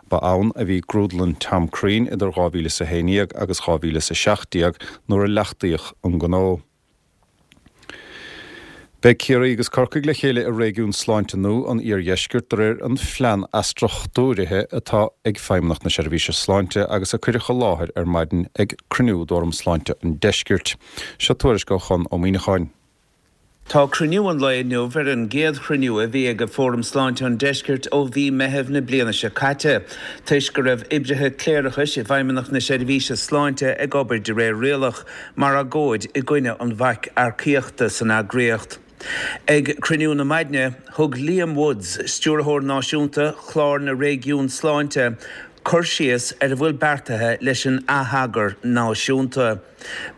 Ba ann a bhí grúdlann Tom Crean idir dhá mhíle is a haon dhéag agus dhá mhíle is a seacht déag nuair a leachtaíodh an gnó. Beidh Ciarraí agus Corcaigh le chéile i réigiún sláinte nua an Iardheiscirt de réir an phlean athstruchtúraithe atá ag Feidhmeannacht na Seirbhíse Sláinte agus a cuireadh i láthair ar maidin ag cruinniú d'Fhóram Sláinte an Deiscirt. Seo tuairisc ó Chonn Ó Muíneacháin. Tá cruinniú an lae inniu ar an gcéad chruinniú a bhí ag Fóram Sláinte an Deiscirt ó mhí Meithimh na bliana seo caite, toisc go raibh oibrithe cléireachais i bhFeidhmeannacht na Seirbhíse Sláinte ag obair de réir rialach, mar agóid i gcoinne an bhaic earcaíochta san eagraíocht. Ag cruinniú na maidne, thug Liam Woods, Stiúrthóir Náisiúnta Chlár na Réigiún Sláinte, cur síos ar a bhfuil beartaithe leis an atheagar náisiúnta.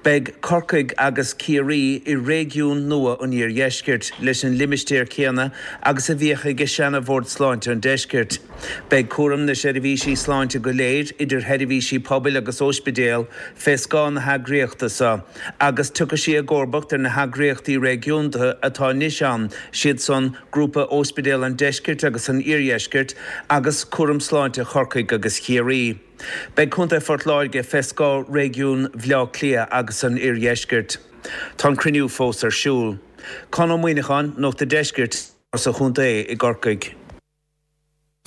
Beidh Corcaigh agus Ciarraí i réigiún nua an Iardheiscirt, leis an limistéar céanna agus a bhíodh ag seana-Bhord Sláinte an Deiscirt. Beidh cúram na seirbhísí sláinte go léir, idir sheirbhísí pobail agus óispidéal, fé scáth na heagraíochta seo, agus tiocfaidh sí i gcomharbacht ar na heagraíochtaí réigiúnda atá anois ann, siad san, Grúpa Óispidéal an Deiscirt agus an Iardheiscirt agus Cúram Sláinte Chorcaigh agus Chiarraí. Beidh Contae Phort Láirge fé scáth réigiún Bhaile Átha Cliath agus an Iardheiscirt. Tá an cruinniú fós ar siúl. Conn Ó Muíneacháin, Nuacht a' Deiscirt, sa chontae i gCorcaigh.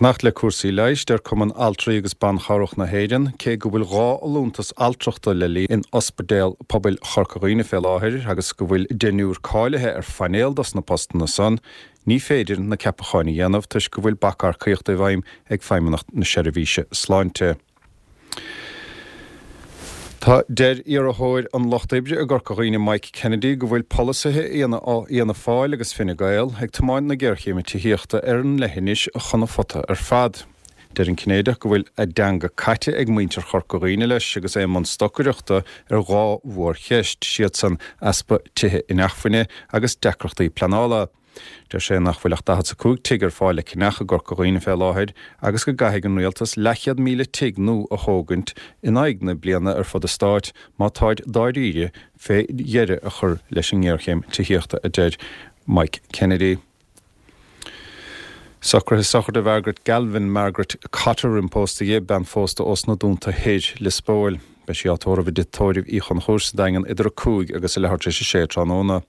Fanacht le cúrsaí leighis, deir Cumann Altraí agus Ban Chabhrach na hÉireann, cé go bhfuil dhá fholúntas altrachta le líonadh in Ospidéal Pobail Chorca Dhuibhne fé láthair agus go bhfuil deichniúr cáilithe ar phainéal dos na postanna san, ní féidir na ceapacháin a dhéanamh toisc go bhfuil bac earcaíochta i bhfeidhm ag Feidhmeannacht na Seirbhíse Sláinte. Tá deir iarrthóir an Lucht Oibre i gCorca Dhuibhne Mike Kennedy go bhfuil polasaithe Fhianna Fáil agus Fine Gael ag tiomáint na géarchéime tithíochta ar an leithinis chun an phota ar fad. Deir an Cinnéideach go bhfuil a dteanga caite ag muintir Chorca Dhuibhne leis agus é i mbun stocaireachta ar dhá mhórcheist, siadsan easpa tithe inacmhainne agus deacrachtaí pleanála. Deir sé nach bhfuil ach daichead 's a cúig tigh ar fáil le ceannach i gCorca Dhuibhne fé láthair agus go gcaithfidh an rialtas leathchéad míle tigh nua a thógaint in aghaidh na bliana ar fud an stáit má táid dáiríre fé dheireadh a chur leis an ngéarchéim tithíochta, a deir Mike Kennedy. Socruithe sochraide Mhargaret Galvin, Margaret Cotter imphósta dhi, bean phósta ós na Dúnta Thoir, Lios Póil. Beidh sí á tórramh i dTigh Tórraimh Uí Chonchúir sa Daingean idir a cúig agus a leathuair tar éis a sé tráthnóna.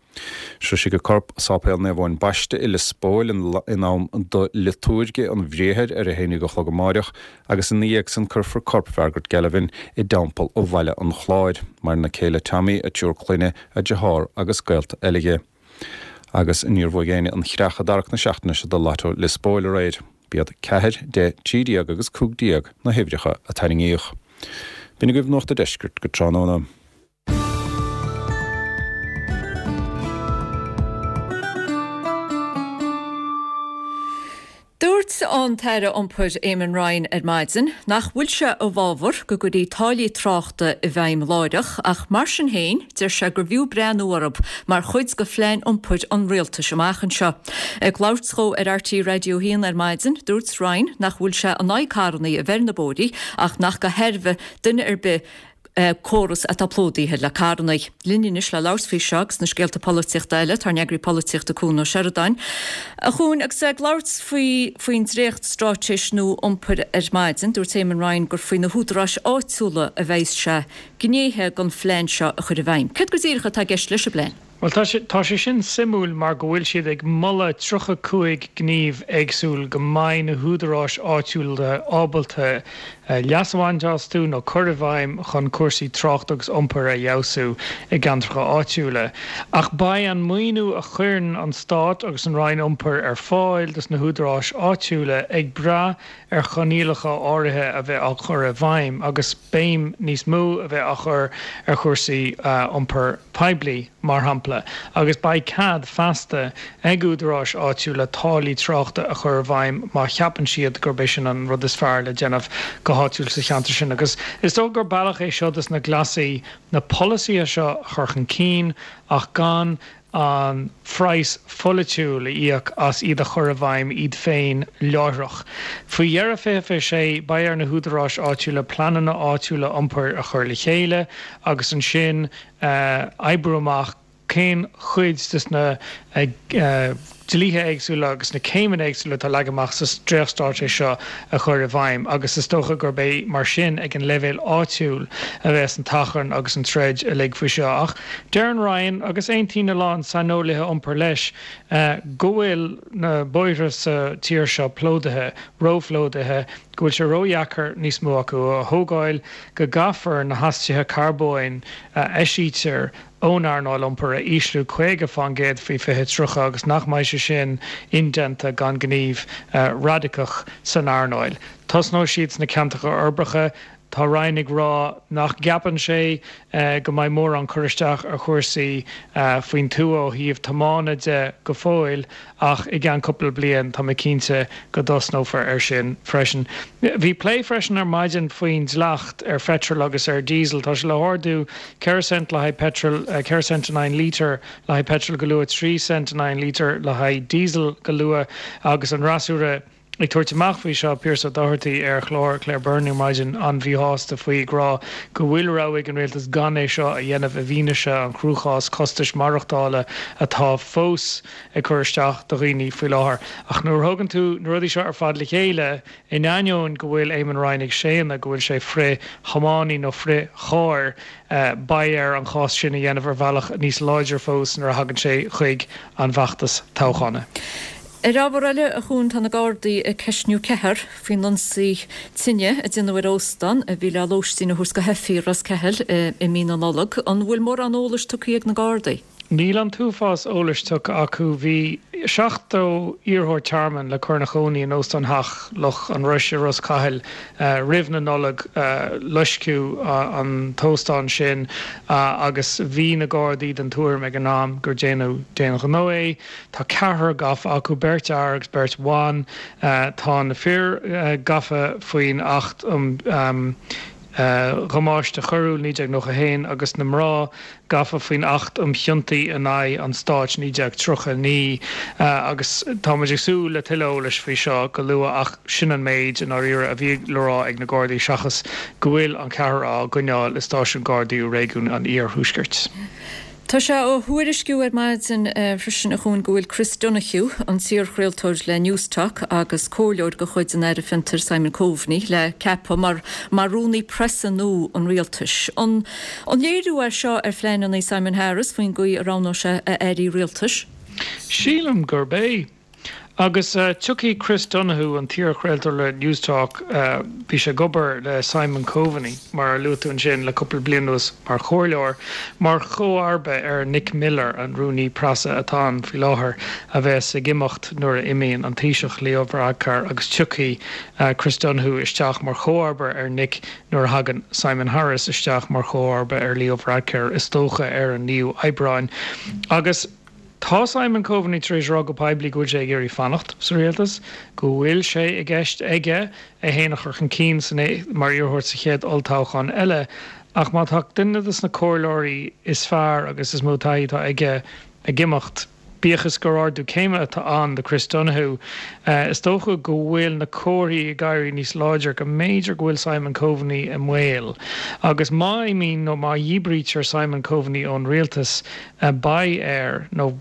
Sroisfidh a corp Sáipéal Naomh Eoin Baiste i Lios Póil in am do liotúirge an Bhriathair ar a haon déag a chlog amáireach agus ina dhiaidh san cuirfear corp Mhargaret Galvin i dTeampall Bhaile an Chláir. Maireann a céile Tommy, a triúr clainne, a deartháir agus gaolta eile dhi. Agus níor bhuaigh éinne an chreach i dtarrac na seachtaine seo do Lotto Lios Póil aréir. B'iad ceathair, deich, trí déag agus cúig déag na huimhreacha a tarraingíodh. B'in agaibh Nuacht a' Deiscirt go tráthnóna. Dúirt an tAire Iompair Eamon Ryan ar maidin nach bhfuil sé i bhfabhar go gcuirfí táillí tráchta i bhfeidhm láithreach ach mar sin féin deir sé gur bhfiú breathnú orthu mar chuid de phlean iompair an rialtais amach anseo. Ag labhairt dhó ar RTÉ Raidió a haon ar maidin, dúirt Ryan nach bhfuil sé in aghaidh carrannaí a bheith ar na bóithrí ach nach de thairbhe duine ar bith córas atá plódaithe le carrannaí. Linn anois le labhairt faoi seo agus na scéalta polaitíochta eile, tá ár n-eagraí polaitíochta Cuan Ó Seireadáin. A Chuain, agus é ag labhairt faoi faoin dréacht-straitéis nua iompair ar maidin, dúirt Eamon Ryan gur faoi na húdaráis áitiúla a bheas sé gnéithe den phlean seo a chur i bhfeidhm. Céard go díreach atá i gceist leis an bplean? Bhuel, tá sé, tá sé sin suimiúil mar go bhfuil siad ag moladh tríocha cúig gníomh éagsúil go mbeidh na húdaráis áitiúla ábalta leas a bhaint astu nó cur i bhfeidhm chun cúrsaí tráchta agus iompair a fheabhsú i gceantracha áitiúla. Ach beidh an maoiniú a chuireann an Stát agus an Roinn Iompair ar fáil dos na húdaráis áitiúla ag brath ar choinníollacha áirithe a bheith á chur i bhfeidhm agus béim níos mó a bheith á chur ar chúrsaí iompair poiblí, mar shampla, agus beidh cead feasta ag údaráis áitiúla táillí tráchta a chur i bhfeidhm má cheapann siad gurb é sin an rud is fearr le déanamh go háitiúil sa cheantar sin. Agus is dócha gur bealach é seo dos na Glasaigh na polasaithe seo a chur chun cinn ach gan an phraghas pholaitiúil a íoc as iad a chur i bhfeidhm iad féin láithreach. Faoi dheireadh fiche fiche sé, beidh ar na húdaráis áitiúla pleananna áitiúla iompair a chur le chéile agus ansin oibriú amach cén chuid de na dlíthe éagsúla agus na céimeanna éagsúla atá leagtha amach sa dréachtstraitéis seo a chur i bhfeidhm agus is dócha gurb é mar sin ag an leibhéal áitiúil a bheas an t-achrann agus an troid uilig faoi seo. Ach deir an Roinn, agus aontaíonn a lán saineolaithe iompair leis, go bhfuil na bóithre sa tír seo plódaithe, róphlódaithe, go bhfuil sé ródheacair níos mó acu a thógáil, go gcaithfear na hastuithe carbóin a eisítear ón earnáil iompair a ísliú caoga fán gcéad faoi fiche tríocha agus nach mbeidh sé sin indéanta gan gníomh radacach san earnáil. Tosnóidh siad sna ceantracha uirbeacha. Tá Ryan ag rá nach gceapann sé go mbeidh mórán cur isteach ar chúrsaí faoin tuath ó thaobh tiomána de go fóill ach i gceann cúpla bliain tá mé cinnte go dtosnófar air sin freisin. Bhí plé freisin ar maidin faoin dleacht ar pheitreal agus ar diesel. Tá sé le hardú ceithre cent le haghaidh peitreal, ceithre cent in aghaidh an lítir le haghaidh peitreal go luath, trí cent in aghaidh an lítir le haghaidh diesel go luath agus an fhreasúra ag tabhairt amach faoi seo, Pearse Doherty ar chlár Claire Byrne ar maidin an-mhíshásta faoi, ag rá go bhfuil rogha ag an rialtas gan é seo a dhéanamh i bhfianaise an chruachás costais maireachtála atá fós ag cur isteach do dhaoine faoi láthair. Ach nuair a thógann tú na rudaí seo ar fad le chéile, in ainneoin go bhfuil Eamon Ryan ag séanadh go bhfuil sé frith-thiománaí nó frith-charr, beidh air an cás sin a dhéanamh ar bhealach níos láidre fós nuair a thagann sé chuig an bhfeachtas toghchána. Ar ábhar eile, a Chuain, tá na Gardaí ag ceistniú ceathrar faoin ionsaí tine a déanadh ar óstán a bhí le lóistín a thabhairt do theifigh i Ros Ceathail i mí na Nollag. An bhfuil mórán eolais tugtha ag na Gardaí? Níl an t-uafás eolais tugtha acu. Bhí seachtó iarrthóir tearmainn le cur ina chónaí in Óstán Theach Loch an Rois i Ros Cathail roimh na Nollag. Loisceadh an t-óstán sin agus bhí na Gardaí den tuairim ag an am gur déanadh d'aon ghnó é. Tá ceathrar gafa acu, beirt fhear agus beirt bhan. Tá na fir gafa faoin Acht um. Dhamáiste Choiriúil naoi déag nócha a haon agus na mná gafa faoin Acht um Chiontaí in aghaidh an Stáit naoi déag tríocha a naoi agus tá muid ag súil le tuilleadh eolais faoi seo go luath ach sin an méid i ndáiríre a bhí le rá ag na Gardaí seachas go bhfuil an ceathrar á gcoinneáil i stáisiún Gardaí i réigiún an Iarthuaiscirt. Tá sé á thuairisciú ar maidin freisin, a Chuain, go bhfuil Chris Donohue, an t-iarchraoltóir le Newstalk agus comhairleoir de chuid an Aire Fiontair Simon Coveney, le ceapadh mar mar rúnaí preasa nua an rialtais. An an léiriú é seo ar phleananna Simon Harris faoin gcaoi a roghnóidh sé a airí rialtais? Sílim gurb é. Agus tiocfaidh Chris Donohue, an t-iarchraoltóir le Newstalk, bhí sé ag obair le Simon Coveney, mar a luaigh tú ansin, le cúpla bliain anuas mar chomhairleoir, mar chomharba ar Nick Miller, an rúnaí preasa atá ann faoi láthair, a bheas ag imeacht nuair a imíonn an Taoiseach Leo Varadkar agus tiocfaidh Chris Donohue isteach mar chomharba ar Nick nuair a thagann Simon Harris isteach mar chomharba ar Leo Varadkar, is dócha ar an naoú Aibreáin. Agus. Tá Simon Coveney tar éis rá go poiblí go bhfuil sé ag iarraidh fanacht sa rialtas, go bhfuil sé i gceist aige é féin a chur chun cinn mar iarrthóir sa chéad olltoghchán eile, ach má tá duine de na comhairleoirí is fearr agus is mó taithí atá aige ag imeacht, bíodh is gur ardú céime atá ann do Chris Donohue, is dócha go bhfuil na comharthaí ag éirí níos láidre go mb'fhéidir go bhfuil Simon Coveney i mbaol. Agus má imíonn nó má dhíbrítear Simon Coveney ón rialtas, beidh air, nó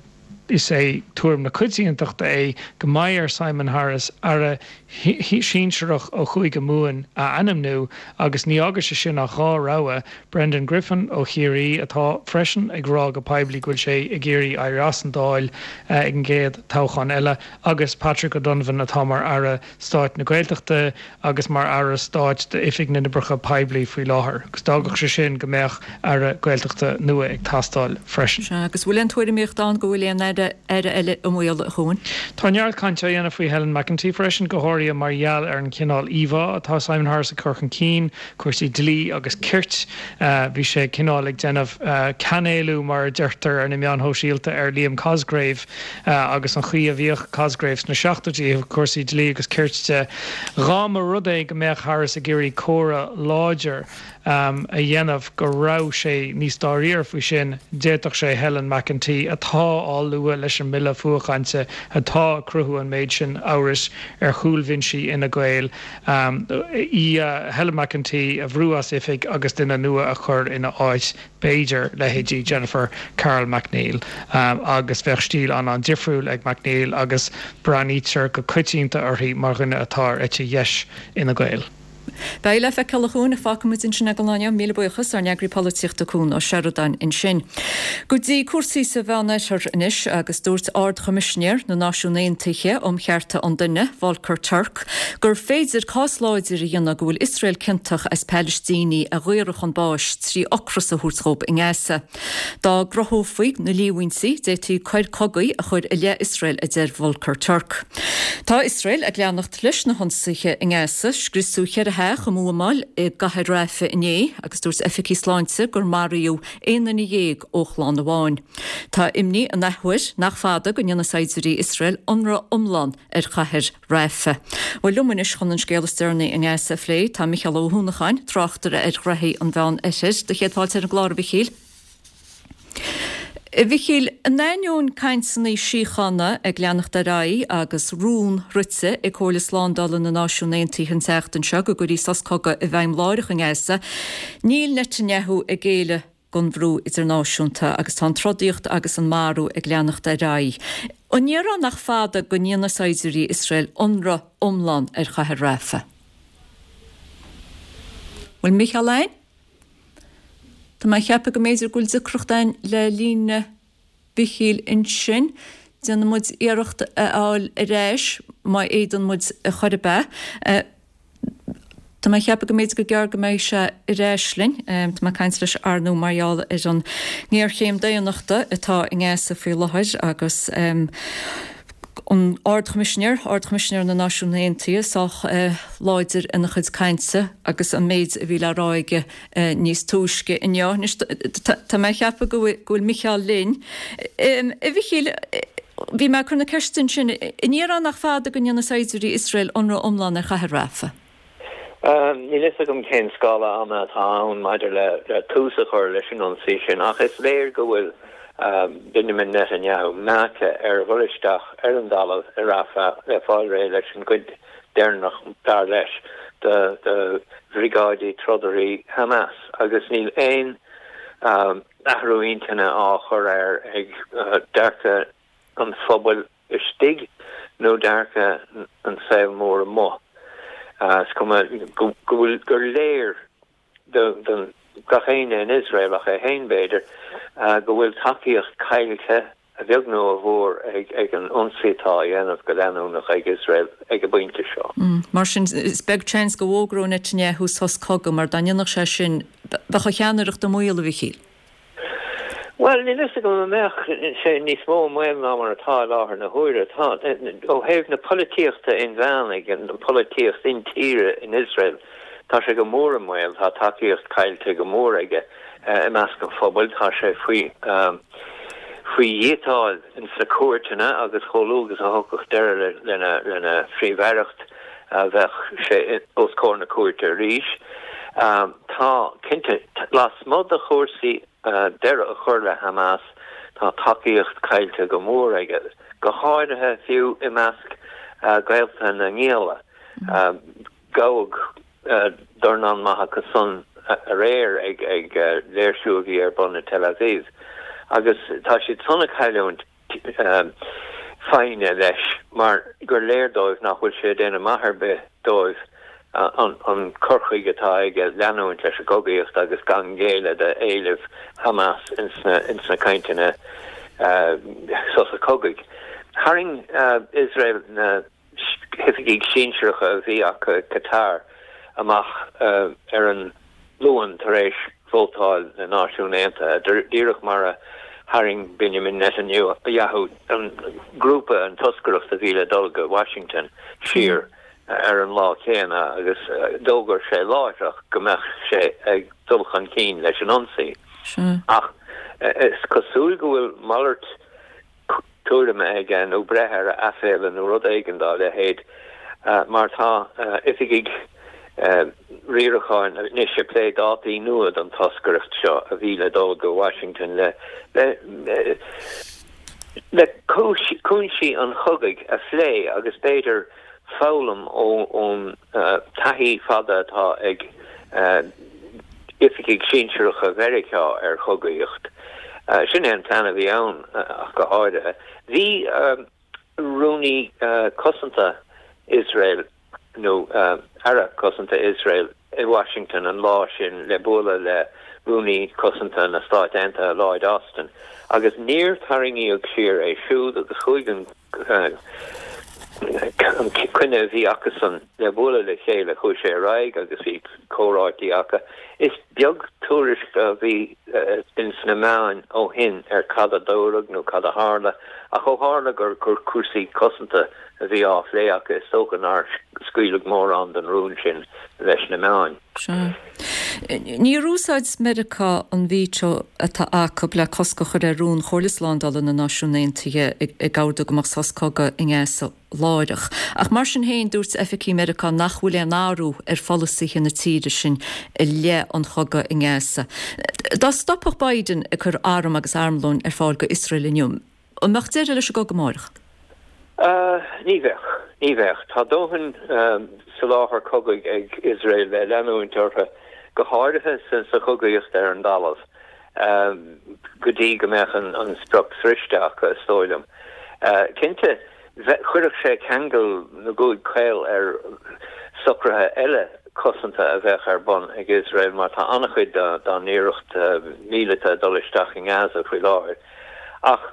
is é tuairim na coitiantachta é, go mbeidh ar Simon Harris aire sinsearach ó Chúige Mumhan a ainmniú agus ní fhágfaidh sé sin ach dhá rogha, Brendan Griffin ó Chiarraí, atá freisin ag rá go poiblí go bhfuil sé ag iarraidh éirí as an Dáil ag an gcéad toghchán eile, agus Patrick O'Donovan atá mar Aire Stáit na Gaeltachta agus mar Aire Stáit d'Oifig na nOibreacha Poiblí faoi láthair, agus d'fhágfadh sé sin go mbeadh Aire Gaeltachta nua ag teastáil freisin. Sea, agus bhfuil aon tuairimíocht ann go bhfuil aon Aire eile i mbaol, a Chuain? Tá neart cainte á dhéanamh faoi Helen McEntee freisin, go háirithe mar gheall ar an chineál íomhá atá Simon Harris ag cur chun cinn, cúrsaí dlí agus cirt. Bhí sé cineál ag déanamh cainéalú, mar a deirtear ar na meáin shóisialta, ar Liam Cosgrave agus an chaoi a bhíodh Cosgrave sna seachtóidí ó thaobh cúrsaí dlí agus cirt de. Dhá mba rud é go mbeadh Harris ag iarraidh comhartha láidir a dhéanamh go raibh sé níos dáiríre faoi sin, d'fhéadfadh sé Helen McEntee, atá á lua leis an mbille fuathchainte atá ag cruthú an méid sin amhrais ar chúlbhinsí Fhine Gael, í, Helen McEntee, a bhrú as oifig agus duine nua a chur ina áit, b'fhéidir leithéidí Jennifer Carroll MacNeill. Agus bheadh stíl an-an-difriúil ag MacNeill agus breathnaítear go coitianta uirthi mar dhuine atá ar eite dheis Fhine Gael. Beidh le feiceáil a Chuain, fágfaimid ansin é don lá inniu. Míle buíochas, ár n-eagraí polaitíochta Cuan Ó Seireadáin ansin. Go dtí cúrsaí sa Mheánoirthear anois agus dúirt Ard-Choimisinéir na Náisiún Aontaithe um Chearta an Duine, Volker Turk, gur féidir cás láidir a dhéanamh go bhfuil Iosrael ciontach as Palaistínigh a dhaoradh chun báis trí ocras a thabhairt dhóibh i nGaza. Dá gcruthófaí na líomhaintí, d'fhéadfaí coir cogaidh a chur i leith Iosrael, a deir Volker Turk. Tá Iosrael ag leanacht leis na hionsaithe i nGaza. Scriosadh ceithre theach i mbuamáil i gcathair Rafah inné agus dúirt oifigigh sláinte gur maraíodh aon duine dhéag ó chlann amháin. Tá imní an athuair nach fada go ndéanfaidh saighdiúirí Iosrael ionradh iomlán ar chathair Rafah. Bhuel, liom anois chun an scéal is deireanaí i nGaza a phlé tá Micheál Ó hUanacháin, tráchtaire ar ghnoithí an Mheán Oirthir. Do chéad fáilte ar an gclár, a Mhichíl. A Mhichíl, in ainneoin cainteanna síochána ag leanacht ar aghaidh agus rún rite ag Comhairle Slándála na Náisiún Aontaithe an tseachtain seo go gcuirfí sos cogaidh i bhfeidhm láithreach i nGaza, níl Netanyahu ag géilleadh don bhrú idirnáisiúnta agus tá an trodaíocht agus an marú ag leanacht ar aghaidh. An ndéarfá nach fada go ndéanfaidh saighdiúirí Iosrael ionradh iomlán ar chathair Rafah? Bhfuil Micheál ann? Tá mé ag ceapadh go mb'fhéidir go bhfuil deacracht ann le líne Mhichíl ansin. Déanfaidh muid iarracht é a fháil ar ais má fhéadann muid a chor ar bith. Tá mé ag ceapadh go mb'fhéidir go gearr go mbeidh sé ar ais linn. Tá mé ag caint leis ar ndóigh mar gheall ar an ngéarchéim daonnachta atá i nGaza faoi láthair agus an Ard-Choimisinéir, Ard-Choimisinéir na Náisiún Aontaithe, sách láidir ina chuid cainte agus an méid a bhí le rá aige níos túisce inniu. Anois tá mé ag ceapadh go bhfuil Micheál linn. A Mhichíl, bhí mé ag cur na ceiste ansin, an ndéarfá nach fada go ndéanfaidh saighdiúirí Iosrael ionradh iomlán ar chathair Rafah? Níl fhios agam cén scála ama atá ann maidir le tús a chur leis an ionsaí sin ach is léir go bhfuil Benjamin Netanyahu meáite ar dhul isteach ar an dtalamh i Rafah le fáil réidh leis an gcuid deireanach, dar leis, de bhriogáidí trodairí Hamas agus níl aon athrú intinne á chur air ag dearcadh an phobail istigh nó dearcadh an saol mór amuigh. Is cuma go bhfuil gur léir do gach éinne in Iosrael, ach é féin b'fhéidir, go bhfuil tacaíocht caillte, a bheag nó a mhór, ag an ionsaí atá á dhéanamh go leanúnach ag Iosrael ag an bpointe seo. Mar sin, is beag seans go bhfógródh Netanyahu sos cogaidh, mar dá ndéanfadh sé sin, bheadh a cheannaireacht i mbaol, a Mhichíl. Bhuel, níl fhios agam an mbeadh sé níos mó i mbaol ná mar atá i láthair na huaire. Tá, ó thaobh na polaitíochta inmheánaigh, an pholaitíocht intíre in Iosrael, tá sé go mór i mbaol. Tá tacaíocht caillte go mór aige i measc an phobail. Tá sé faoi faoi dhíotáil ins na cúirteanna agus chomh luath agus a thiocfadh deireadh lena lena phríomh-aireacht, bheadh sé os comhair na cúirte arís. Tá, cinnte, lasmuigh de chúrsaí deireadh a chur le Hamas, tá tacaíocht caillte go mór aige, go háirithe fiú i measc gaolta na ngialla. Gabhadh dornán maith acu san aréir ag léirsiú a bhí ar bun i Tel Aviv agus tá siad san ag cailliúint foighne leis mar gur léir dóibh nach bhfuil sé ag déanamh maith ar bith dóibh an cur chuige atá aige leanúint leis an gcogaíocht agus gan géilleadh d'éilimh Hamas ins na cainteanna sosa cogaidh. Tharraing Iosrael na hoifigigh sinsearacha a bhí acu i Qatar amach ar an Luan tar éis vótáil na Náisiún Aontaithe, díreach mar a tharraing Benjamin Netanyahu an grúpa, an toscaireacht a bhí le dul go Washington siar ar an lá céanna agus d'fhógair sé láithreach go mbeadh sé ag dul chun cinn leis an ionsaí. Ach is cosúil go bhfuil malairt tuairime aige nó breith ar a aiféala nó rud éigin dá leithéid mar tá oifigigh riaracháin anois ag plé dátaí nua don toscaireacht seo a bhí le dul go Washington le le cúinsí an chogaidh a phlé agus b'fhéidir foghlaim ón taithí fada atá ag oifigigh sinsearacha Mheiriceá ar chogaíocht. Sin é an plean a bhí ann ach go háirithe. Bhí Rúnaí Cosanta Iosrael, nó Aire Cosanta Iosrael, i Washington an lá sin le bualadh le Rúnaí Cosanta na Stát Aontaithe Lloyd Austin agus níor tarraingíodh siar é siúd agus chuaigh an an coinne a bhí acusan le bualadh le chéile, chuaigh sé ar aghaidh agus bhí comhráití acu. Is beag tuairisc a bhí ins na meáin ó shin ar cad a dúradh nó cad a tharla, ach ó tharla gur cúrsaí cosanta a bhí á phlé acu, is dócha nár scaoileadh mórán den rún sin leis na meáin. Sea. Níor úsáid Meiriceá an veto atá acu le cosc a chur ar rún Chomhairle Slándála na Náisiún Aontaithe ag ordú go mbeadh sos cogaidh i nGaza láithreach. Ach mar sin féin, dúirt oifigigh Meiriceá nach bhfuil aon athrú ar pholasaithe na tíre sin i leith an chogaidh i nGaza. Dá stopfadh Biden ag cur arm agus armlóin ar fáil go Iosrael inniu, An mbeadh deireadh leis an gcogadh amárach? Ní bheadh. Ní bheadh. Tá dóthain soláthar cogaidh ag Iosrael le leanúint orthu, go háirithe sa chogaíocht ar an dtalamh, go dtí go mbeadh an sprioc sroichte acu, is dóigh liom. Cinnte, chuirfeadh sé ceangal na gcúig caol ar socruithe eile cosanta a bheadh ar bun ag Iosrael mar tá an-chuid dá n-iarracht míleata ag dul isteach i nGaza faoi láthair. Ach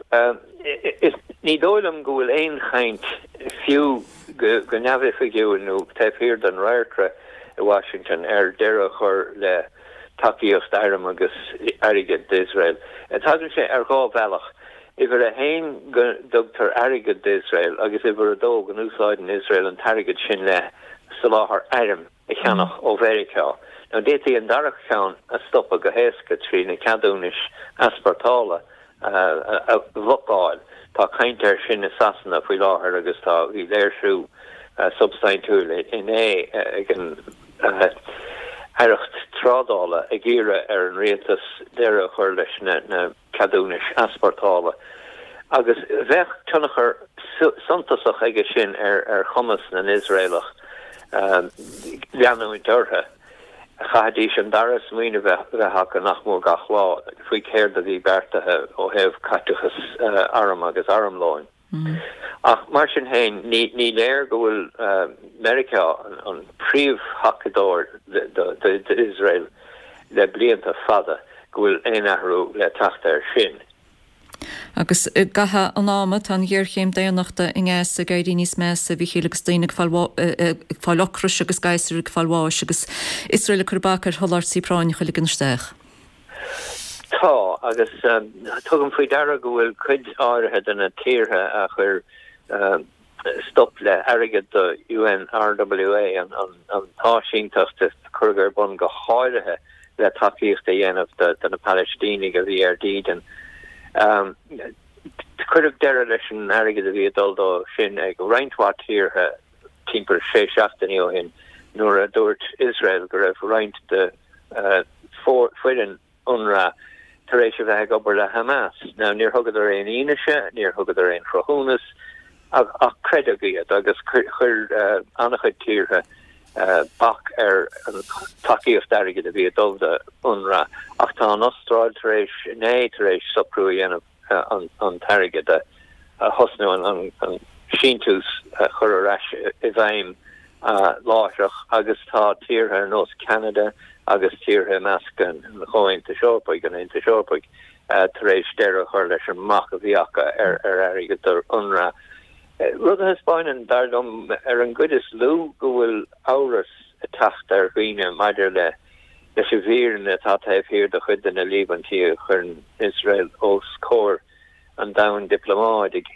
ní dóigh liom go bhfuil aon chaint, fiú go neamhoifigiúil nó taobh thiar den radharcra, i Washington ar deireadh a chur le tacaíocht airm agus airgid d'Iosrael. Tagann sé ar dhá bhealach, uimhir a haon go dtugtar airgead d'Iosrael agus uimhir a dó go n-úsáideann Iosrael an t-airgead sin le soláthar airm a cheannach ó Mheiriceá. Now d'fhéadfaí an dara ceann a stopadh go héasca trí na ceadúnais easpórtála a bhlocáil. Tá caint air sin i Sasana faoi láthair agus tá bhí léirsiú substaintiúil inné ag an Aireacht Trádála ag iarraidh ar an rialtas deireadh a chur leis na ceadúnais easpórtála agus bheadh tionchar suntasach aige sin ar chumas na nIosraelach leanúint orthu. Chaithfidís an dara smaoineamh a bheith acu nach mór gach lá faoi céard a bhí beartaithe ó thaobh caiteachas arm agus armlóin. Ach mar sin féin, ní léir go bhfuil Meiriceá, an príomhthacadóir d'Iosrael le blianta fada, go bhfuil aon athrú le teacht air sin. Agus i gcaitheamh an ama, tá an ghéarchéim daonnachta i nGaza ag éirí níos measa, a Mhíchíl, agus daoine ag fáil ocrais agus gasúir ag fáil bháis agus Iosrael ag cur bac ar sholáthairtí práinneacha a ligean isteach. Tá, agus tugaim faoi deara go bhfuil cuid áirithe de na tíortha a chuir stop le hairgead do UNRWA, an t-áisínteacht a cuireadh ar bun go háirithe le tacaíocht a dhéanamh do na Palaistínigh a bhí ar dídean. Cuireadh deireadh leis an airgead a bhí ag dul dó sin ag roinnt mhaith tíortha timpeall sé seachtainí ó shin nuair a dúirt Iosrael go raibh roinnt de foireann Unrwa tar éis a bheith ag obair le Hamas. Now níor thugadar aon fhianaise, níor thugadar aon chruthúnas ach creideadh iad agus chuir an-chuid tíortha bac ar an tacaíocht airgid a bhí ag dul do Unrwa. Ach tá an Astráil tar éis, inné, tar éis socrú a dhéanamh an t-airgead a thosnú, an síntiús a chur ar ais i bhfeidhm láithreach agus tá tíortha ar nós Ceanada agus tíortha i measc an Chomhaontais Eorpaigh, an Aontais Eorpaigh, tar éis deireadh a chur leis an mbac a bhí acu ar airgead do Unrwa. Rud a thaispeáineann, dar liom, ar an gcuid is lú go bhfuil amhras ag teacht ar dhaoine maidir le leis an bhfírinne atá taobh thiar de chuid de na líomhaintí a chuireann Iosrael os comhair an domhain dioplómáidigh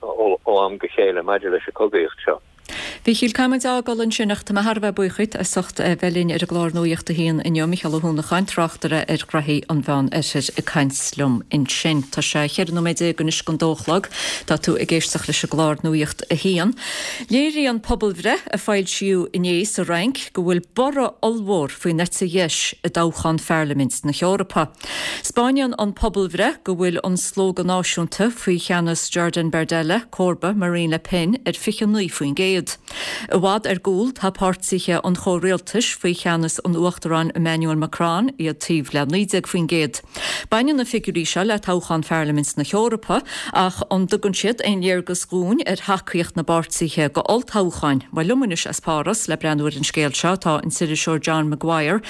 ó am go chéile maidir leis an chogaíocht seo. A Mhíchíl, caithfidh muid a fhágáil ansin ach tá mé thar a bheith buíoch díot as ucht a bheith linn ar an gclár Nuacht a hAon inniu, Mícheál Ó hUanacháin, tráchtaire ar ghraithí an Mheán Oirthir ag caint liom ansin. Tá sé cheithre nóiméad déag anois don dó a chlog. Tá tú ag éisteacht leis an gclár Nuacht a hAon. Léiríonn pobalbhreith a foilsíodh inné sa Fhrainc go bhfuil borradh ollmhór faoin eite dheis i dtoghchán Pharlaimint na hEorpa. 'Spáineann an pobalbhreith go bhfuil an Slógadh Náisiúnta faoi cheannas Jordan Bardella, comharba Marine Le Pen, ar fiche naoi faoin gcéad. I bhfad ar gcúl tá páirtithe an chomhrialtais faoi cheannas an Uachtaráin Emmanuel Macron, iad taobh le naoi déag faoin gcéad. Baineann na figiúirí seo le toghchán Pharlaimint na hEorpa, ach an dtugann siad aon léargas dhúinn ar thacaíocht na bpáirtithe go olltoghcháin? Bhuel, liom anois as Páras le breathnú ar an scéal seo tá an t-iriseoir John Maguire.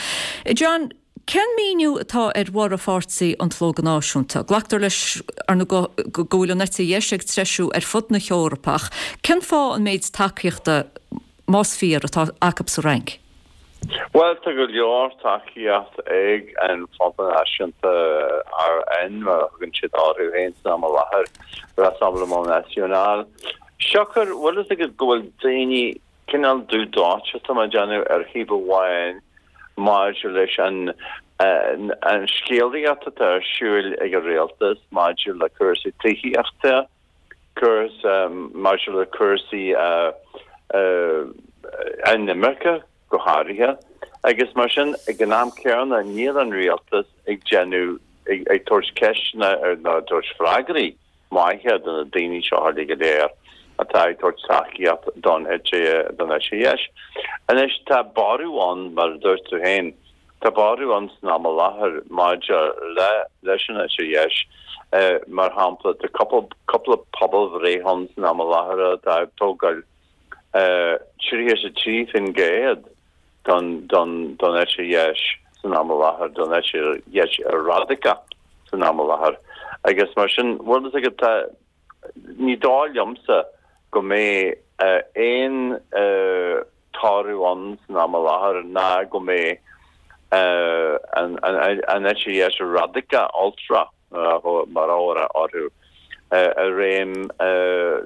John, cén míniú atá ar bhorradh pháirtí an tSlógadh Náisiúnta? Glactar leis, ar ndóigh, go bhfuil an eite dheis ag treisiú ar fud na hEorpa ach cén fáth an méid tacaíochta, más fíor, atá acu sa Fhrainc? Bhuel, tá go leor tacaíocht ag an Fronta Náisiúnta, RN, mar a thugann siad orthu féin san am i láthair, Rassemblement National. Siocair, bhfuil fhios agat go bhfuil daoine cineál dubh dóite, tá mé ag déanamh, ar thaobh amháin maidir leis an an scéalaíocht atá ar siúl ag an rialtas maidir le cúrsaí tithíochta, maidir le cúrsaí an imirce go háirithe, agus mar sin ag an am céanna níl an rialtas ag déanamh, ag tabhairt ceisteanna nó ag tabhairt freagraí maithe do na daoine seo uilig go léir atá ag tabhairt tacaíocht don eite don eite dheis. Anois tá borradh ann, mar a dúirt tú féin, tá borradh ann san am i láthair maidir le leis an eite dheis. Mar shampla, tá cúpla pobalbhreith ann san am i láthair atá ag tógáil tríocha is a trí faoin gcéad don don don eite dheis san am i láthair, don eite dheis radacach san am i láthair. Agus mar sin, bhfuil fhios agat, tá, ní dóigh liomsa go mbeidh aon toradh ann san am i láthair ná go mbeidh an eite dheis radacach, ultra mar a orthu, i réim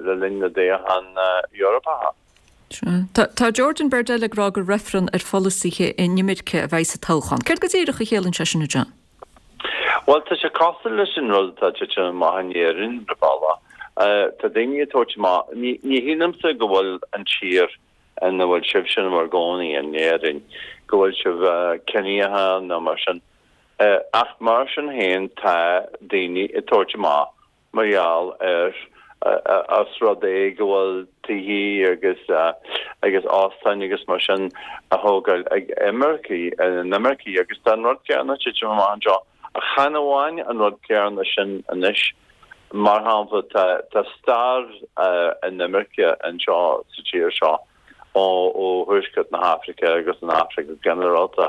le linn na dtoghchán Eorpacha. Tá Jordan Bardella ag rá gur reifreann ar pholasaithe inimirce a bheidh sa toghchán. Céard go díreach a chiallaíonn sé sin, a John? Bhuel, tá sé cosúil leis an rud atá tite amach in Éirinn, ar bhealach. Tá daoine ag tabhairt amach, ní shílimse go bhfuil an tír ina bhfuil sibhse in bhur gcónaí in Éirinn, go bhfuil sibh ciníoch nó mar sin. Ach mar sin féin tá daoine ag tabhairt amach mar gheall ar os rud é go bhfuil tithe agus agus óstáin agus mar sin á thógáil ag imircigh, inimircigh agus tá an rud céanna ag titim amach anseo. Ach chan amháin an rud céanna sin anois, mar shampla tá tá stair inimirce anseo sa tír seo ó ó thuaisceart na hAfraice agus an Afraic go ginearálta.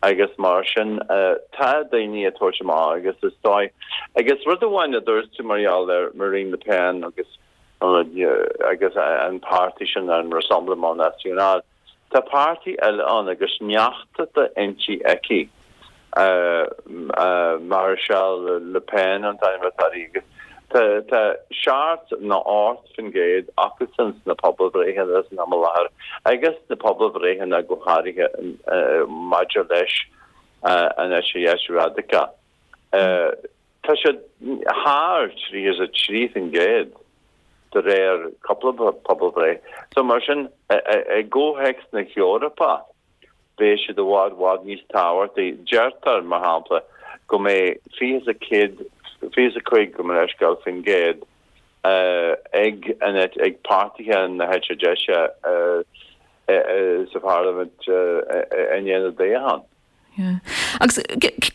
Agus mar sin, tá daoine ag tabhairt amach agus is dóigh, agus rud amháin a dúirt tú mar gheall ar Marine Le Pen agus agus an páirtí sin, an Rassemblement National, tá páirtí eile ann agus neacht inti aici, Maréchal Le Pen an t-ainm atá uirthi, agus Tá tá seacht nó ocht faoin gcéad acusan sna pobalbhreitheanna san am i láthair agus na pobalbhreitheanna go háirithe maidir leis an eite dheis radacach. Tá siad thar tríocha is a trí faoin gcéad de réir cúpla pobalbhreith. So mar sin i gcomhthéacs na hEorpa, beidh siad i bhfad bhfad níos tábhachtaí. Deirtear, mar shampla, go mbeidh fiche is a céad, fiche is a cúig, gabh mo leithscéal, faoin gcéad ag an ag páirtithe na heite deise sa pharlaimint i ndiaidh na dtoghchán. Agus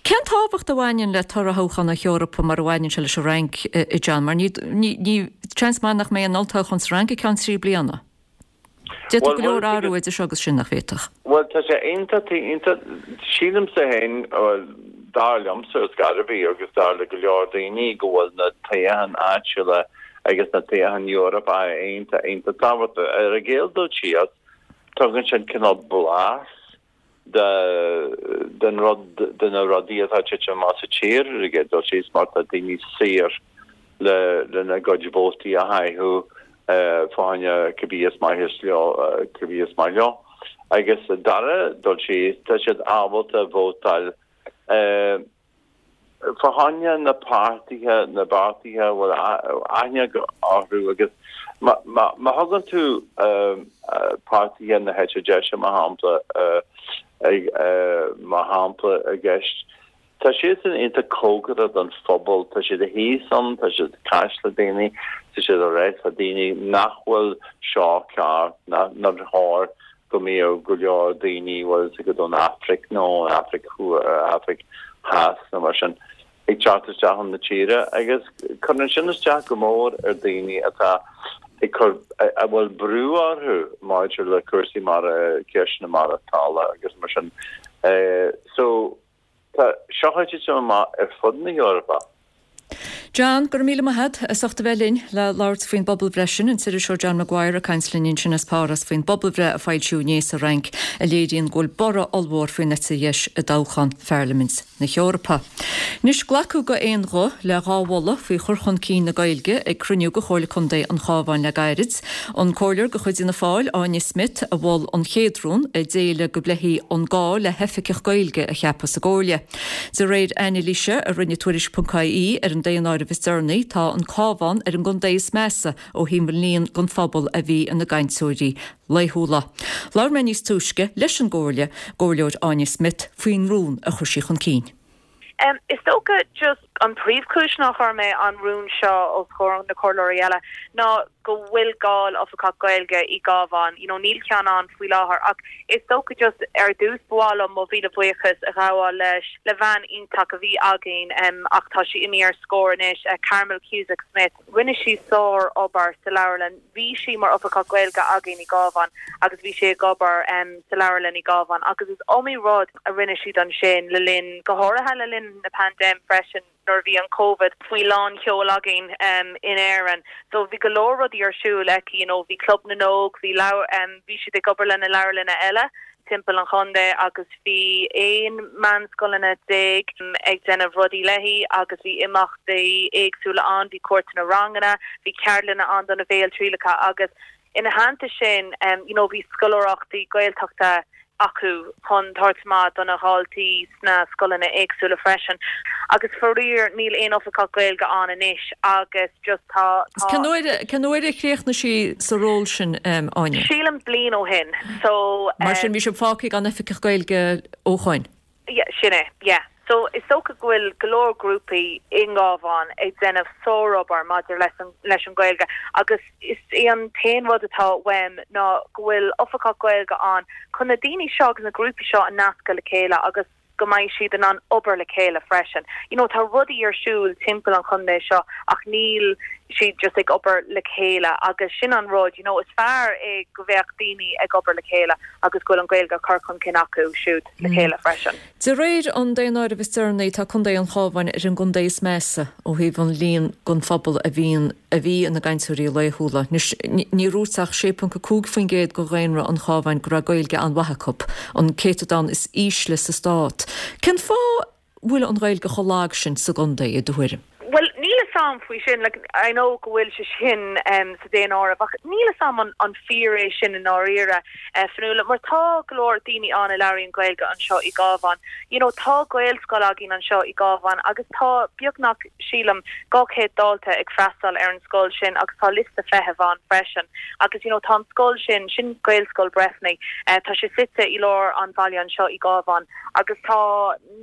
cén tábhacht a bhaineann le toradh thoghchán na hEorpa mar a bhaineann sé leis an Fhrainc, a John? Mar ní, ní, seans maith nach mbeidh an olltoghchán sa Fhrainc i gceann trí bliana. D'fhéadfadh go leor athrú idir seo agus sin, nach bhféadfadh? Bhuel, tá sé iontach, iontach, sílimse féin, bhuel, dar liomsa ar scor ar bith agus dar le go leor daoine go bhfuil na toghcháin áitiúla agus na toghcháin Eorpacha iontach, iontach tábhachtach. Ar an gcéad dul síos, tugann siad cineál blas de den rud, de na rudaí atá ag titim amach sa tír ar an gcéad dul síos mar tá daoine saor le lena gcuid vótaí a chaitheamh fá choinne cibé is maith is leo, cibé is maith leo. Agus dara dul síos, tá siad ábalta vótáil fá choinne na páirtithe, na bpáirtithe a bhfuil aithne orthu agus má thugann tú páirtithe na heite deise, mar shampla, mar shampla i gceist, tá siadsan iontach cóngarach don phobal, tá siad thíos ann, tá siad ag caint le daoine, tá siad ag rá le daoine nach bhfuil seo ceart, nár chóir go mbeadh go leor daoine, bhfuil fhios agat, ón Afraic nó ón Afraic Afraic Theas nó mar sin, ag teacht isteach chun na tíre agus cuireann sin isteach go mór ar daoine atá ag cur, a bhfuil brú orthu maidir le cúrsaí mar ceisteanna maireachtála agus mar sin. So tá seo ag titim amach ar fud na hEorpa. John, go raibh míle maith agat as ucht a bheith linn le labhairt faoin bpobalbhreith sin, an t-iriseoir John Maguire ag caint linn ansin as Páras faoin bpobalbhreith a foilsíodh inné sa Fhrainc a léiríonn go bhfuil borradh ollmhór faoin eite dheis i dtoghchán Pharlaimint na hEorpa. Anois, glacadh d'aon ghuth le dhá mholadh faoi chur chun cinn na Gaeilge ag cruinniú de Chomhairle Contae an Chabháin le gairid. An Comhairleoir de chuid Fhianna Fáil, Áine Smith, a mhol an chéad rún, a d'éiligh go bpléifí an gá le hoifigeach Gaeilge a cheapadh sa gComhairle. De réir anailíse a rinne Tuairisc.ie ar an daonáireamh is deireanaí, tá an Cabhán ar an gcontae is measa ó thaobh an líon den phobal a bhí ina gcainteoirí laethúla. Labhair mé níos túisce leis an gComhairle, gComhairleoir Áine Smith faoin rún a chuir sí chun cinn. Is dócha just an príomhchúis nár chuir mé an rún seo os comhair na comhairleoirí eile ná go bhfuil gá le oifigeach Gaeilge i gCabhán, you know níl ceann ann faoi láthair ach is dócha just ar dtús ba mhaith liom mo mhíle buíochas a ghabháil leis le bhean iontach a bhí againn um, ach tá sí imithe ar scor anois, uh, Carmel Cusack Smith. Rinne sí sár-obair sa leabharlann. Bhí sí mar oifigeach Gaeilge againn i gCabhán agus bhí sí ag obair um, sa leabharlann i gCabhán agus is iomaí rud a rinne siad ansin le linn go háirithe le linn na paindéime freisin. nuair a bhí an Covid faoi lán sheol againn um, in Éirinn. So bhí go leor rudaí ar siúl aici, you know, bhí Club na nÓg, bhí um, bhí siad ag obair lena leabharlanna eile timpeall an chontae agus bhí aon meánscoileanna déag ag déanamh rudaí léi agus bhí imeachtaí éagsúla ann, bhí cuairteanna ranganna, bhí ceardlanna ann do na béaltrialacha agus ina theannta sin um, you know, bhí scoláireachtaí Gaeltachta acu chun tabhairt amach do na daltaí sna scoileanna éagsúla freisin. Agus faraor níl aon oifigeach Gaeilge ann anois agus just tá Cén uair cén uair a chríochnaigh sí sa ról sin um, Áine? Sílim bliain ó shin. So Mar sin bhí sibh fágtha gan oifigeach Gaeilge ó shin. Yeah, sin é, yeah. So is dócha go bhfuil go leor grúpaí i nGabhán ag déanamh sárobair maidir leis an leis an Ghaeilge agus is é an t-aon rud atá uaim ná go bhfuil oifigeach Gaeilge ann chun na daoine seo agus na grúpaí seo a nascadh le chéile agus go mbeidh siad in ann obair le chéile freisin. You know, tá rudaí ar siúl timpeall an chontae seo ach níl siad just ag obair le chéile agus sin an rud, you know, is fearr é go bheadh daoine ag obair le chéile agus go bhfuil an Ghaeilge curtha chun cinn acu siúd le mm. chéile freisin. De réir an daonáirimh is deireanaí tá Contae an Chabháin ar an gcontae is measa ó thaobh an líon den phobal a bhíonn a bhí ina gcainteoirí laethúla. Ní dúirt ach sé ponc a cúig faoin gcéad de dhaonra an Chabháin go raibh Gaeilge an-mhaith acu, an céatadán is ísle sa stát. Cén fáth bhfuil an Ghaeilge chomh lag sin sa gcontae i do thuairim? Well níl a fhios a'm faoi sin like, I know go bhfuil sé sin um, sa daonáireamh ach níl a fhios a'm an, an fíor é sin i ndáiríre uh, Fionnuala mar tá go leor daoine ann a labhraíonn Gaeilge anseo i gCabhán. You know, tá Gaelscoil againn anseo i gCabhán agus tá beagnach sílim dhá chéad dalta ag freastal ar an scoil sin agus tá liosta feithimh ann freisin. Agus you know, tá an scoil sin sin Gaelscoil Breifne uh, tá sé suite i lár an bhaile anseo i gCabhán agus tá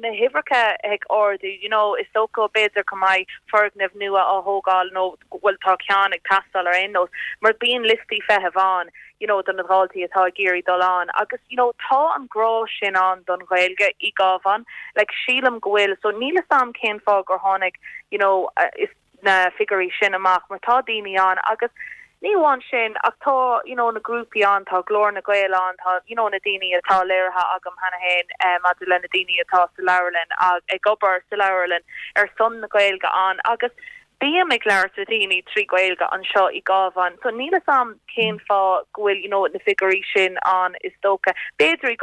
na huimhreacha ag ardú you know, is dócha b'fhéidir go mbeidh foirgneamh nua á thógáil nó bhfuil tá ceann ag teastáil ar aon nós mar bíonn liostaí feithimh ann you know don na daltaí atá ag iarraidh dul ann agus you know tá an grá sin ann don Ghaeilge i gCabhán like sílim go bhfuil so níl a fhios a'm cén fáth gur tháinig you know uh, is na figiúirí sin amach mar tá daoine ann agus ní amháin sin ach tá you know na grúpaí ann tá Glór na nGael ann tá you know na daoine atá léirithe agam cheana féin um, maidir le na daoine atá sa leabharlann ag obair sa leabharlann ar son na Gaeilge ann agus bím ag labhairt le daoine trí Ghaeilge anseo i gCabhán so níl a fhios a'm cén fáth go bhfuil you know na figiúirí sin ann is dócha b'fhéidir i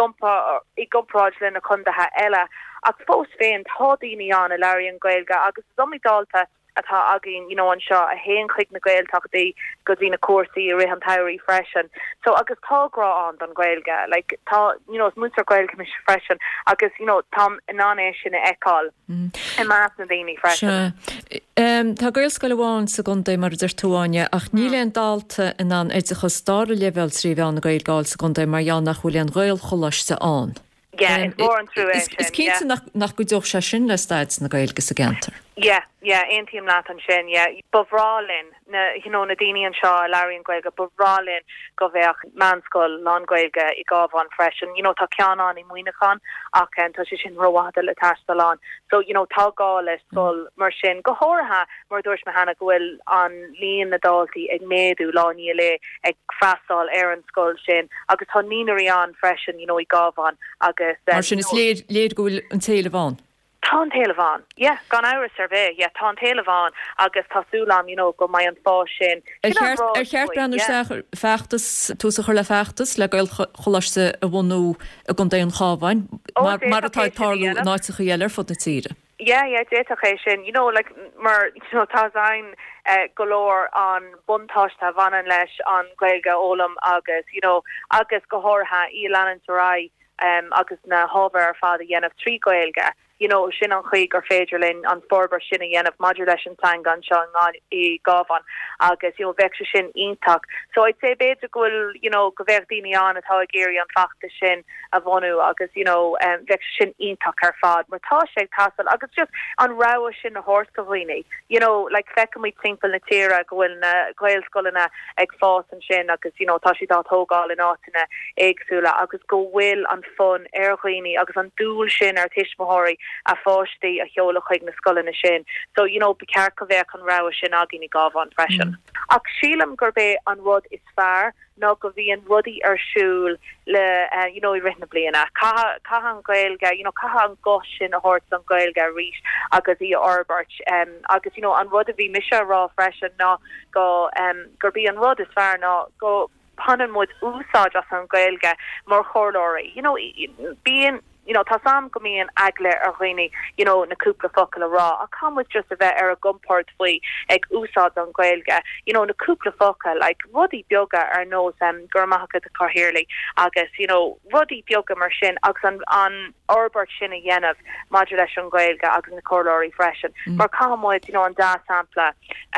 i gcomparáid le na contaetha eile ach fós féin tá daoine ann a labhraíonn Gaeilge agus is iomaí dalta atá againn you know anseo a théann chuig na Gaeltachtaí go dtí na cúrsaí i rith an tsamhraidh freisin so agus tá grá ann don Ghaeilge like tá you know is múinteoir Gaeilge mise freisin agus you know táim in ann é sin a fheiceáil mm. i measc na daoine freisin. Um, tá Gaelscoil amháin sa gcontae mar a deir tú Áine ach níl aon dalta in ann oideachas dara leibhéal trí mheán na Gaeilge a fháil sa gcontae mar gheall nach bhfuil aon Ghaelcholáiste ann. Yeah, is mór an trua Is is cinnte nach nach gcuideodh sé sin le staid na Gaeilge sa gceantar. Yeah, yeah, aontaím leat ansin, yeah. Ba bhreá linn na you know, na daoine anseo a labhraíonn Gaeilge, ba bhreá linn go bheadh meánscoil lán-Ghaeilge i gCabhán freisin. You know, tá ceann ann i Muineachán ach um, tá sé sin rófhada le taisteal ann. So you know, tá gá le scoil mar sin go háirithe mar dúirt mé cheana go bhfuil an líon na ndaltaí ag méadú lá i ndiaidh lae ag freastal ar an scoil sin agus tá naíonraí ann freisin you know, i gCabhán agus um, Mar sin is léir léir go bhfuil an t-éileamh ann. Tá an t-éileamh ann. Yeah, gan amhras ar bith. Yeah, tá an t-éileamh ann agus tá súil agam you know, go mbeidh an fás sin. Ar cheart ar cheart breathnú isteach feachtas tús a chur le feachtas le Gaelcholáiste a bhunú i gContae an Chabháin mar mar atá ag tarlú in áiteacha eile ar fud na tíre. Yeah, yeah, d'fhéadfadh é sin. You know, like mar you know, tá an uh, go leor an buntáiste a bhaineann leis an Ghaeilge a fhoghlaim agus you know, agus go háirithe í leanúint ar aghaidh um, agus na hábhair ar fad a dhéanamh trí Ghaeilge. You know, sin an chaoi gur féidir linn an forbairt sin a dhéanamh maidir leis an teanga anseo i gCabhán agus you know, bheadh sé sin iontach. So I'd say b'fhéidir go bhfuil you know, go bheadh daoine ann atá ag iarraidh an feachtas sin a bhunú agus you know, um, bheadh sé sin iontach ar fad, mar tá sé ag teastáil agus just an rogha sin a thabhairt do dhaoine. You know, like feicimid timpeall na tíre go bhfuil na Gaelscoileanna ag fás ansin agus you know, tá siad á dtógáil in áiteanna éagsúla agus go bhfuil an fonn ar dhaoine agus an dúil sin ar tuismitheoirí a pháistí a sheoladh chuig na scoileanna sin. So, you know, ba cheart go bheadh an rogha sin againn i gCabhán freisin. Ach sílim gurb é an rud is fearr ná go bhíonn rudaí ar siúl le eh, you know, i rith na bliana. Caithfidh caithfidh an Ghaeilge, you know, caithfidh an guth sin a thabhairt don Ghaeilge arís agus í a fhorbairt. Um, agus you know, an rud a bhí mise a rá freisin ná go um, gurb í an rud is fearr ná go mbaineann muid úsáid as an Ghaeilge mar chomhairleoirí. You know, bíonn you know, tá sam go mbíonn eagla ar dhaoine you know, na cúpla focal a rá ach caithfidh muid just a bheith ar a gcompord faoi ag úsáid an Ghaeilge. You know, na cúpla focal like, rudaí beaga ar nós um, go raibh maith agat a chathaoirligh agus you know, rudaí beaga mar sin agus an, an fhorbairt sin a dhéanamh maidir leis an Ghaeilge agus na comhairleoirí freisin. Mm. Mar caithfidh muid you know, an dea-sampla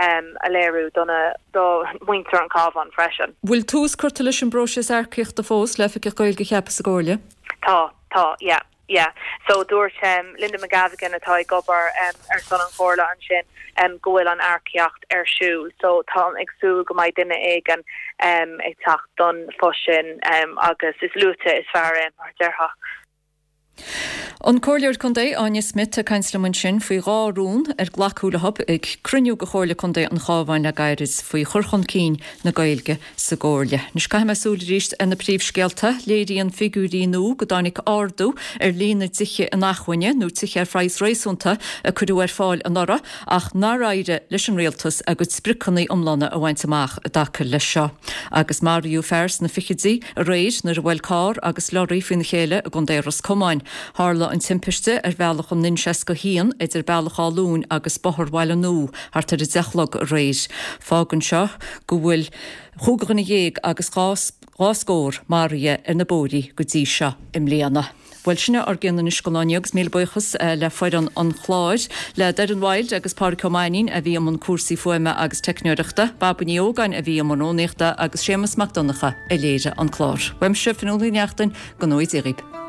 um, a léiriú dona do mhuintir an Chabháin freisin. Bhfuil tús curtha leis an bpróiseas earcaíochta fós le oifigeach Gaeilge a cheapadh sa gComhairle? Tá tá yeah. Yeah, so dúirt um, Linda McGavigan atá ag obair um, ar son an chomhairle ansin um, go bhfuil an earcaíocht ar siúl, so tá ag súil go mbeidh duine éigin um, ag teacht don phost sin um, agus is luaithe is fearr é mar déarfá. An Comhairleoir Contae Áine Smith ag caint liom ansin faoi dhá rún ar glacadh leo ag cruinniú de Chomhairle Contae an Chabháin le gairid faoi chur chun cinn na Gaeilge sa gComhairle. Anois caithfidh mé súil arís ar na príomhscéalta, léiríonn figiúirí nua go dtáinig ardú ar líon na dtithe inacmhainne nó tithe ar phraghas réasúnta a cuireadh ar fáil anuraidh ach nár éirigh leis an rialtas a gcuid spriocanna iomlána a bhaint amach i dtaca leis seo. Agus maraíodh fear sna fichidí aréir nuair a bhuail carr agus lorry faoina chéile i gContae Ros Comáin. Tharla an timpiste ar bhealach an N seasca haon idir Bealach Áth Luain agus Bóthar Bhaile Nua thart ar a deich a chlog aréir. Fágann seo go bhfuil chúig dhuine dhéag agus dhá dhá scór maraithe ar na bóithre go dtí seo i mbliana. Bhuel sin ár gceann anois don lá inniu agus míle buíochas le foireann an chláir, le Doireann Wild agus Pádraig Ó Mainnín a bhí i mbun cúrsaí fuaime agus teicneoireachta, Baba Ní Ógáin a bhí i mbun rúnaíochta agus Séamus Mac Donncha a léirigh an clár. Uaimse Fionnuala Ní Neachtain, go ngnóthaí Dia dhaoibh.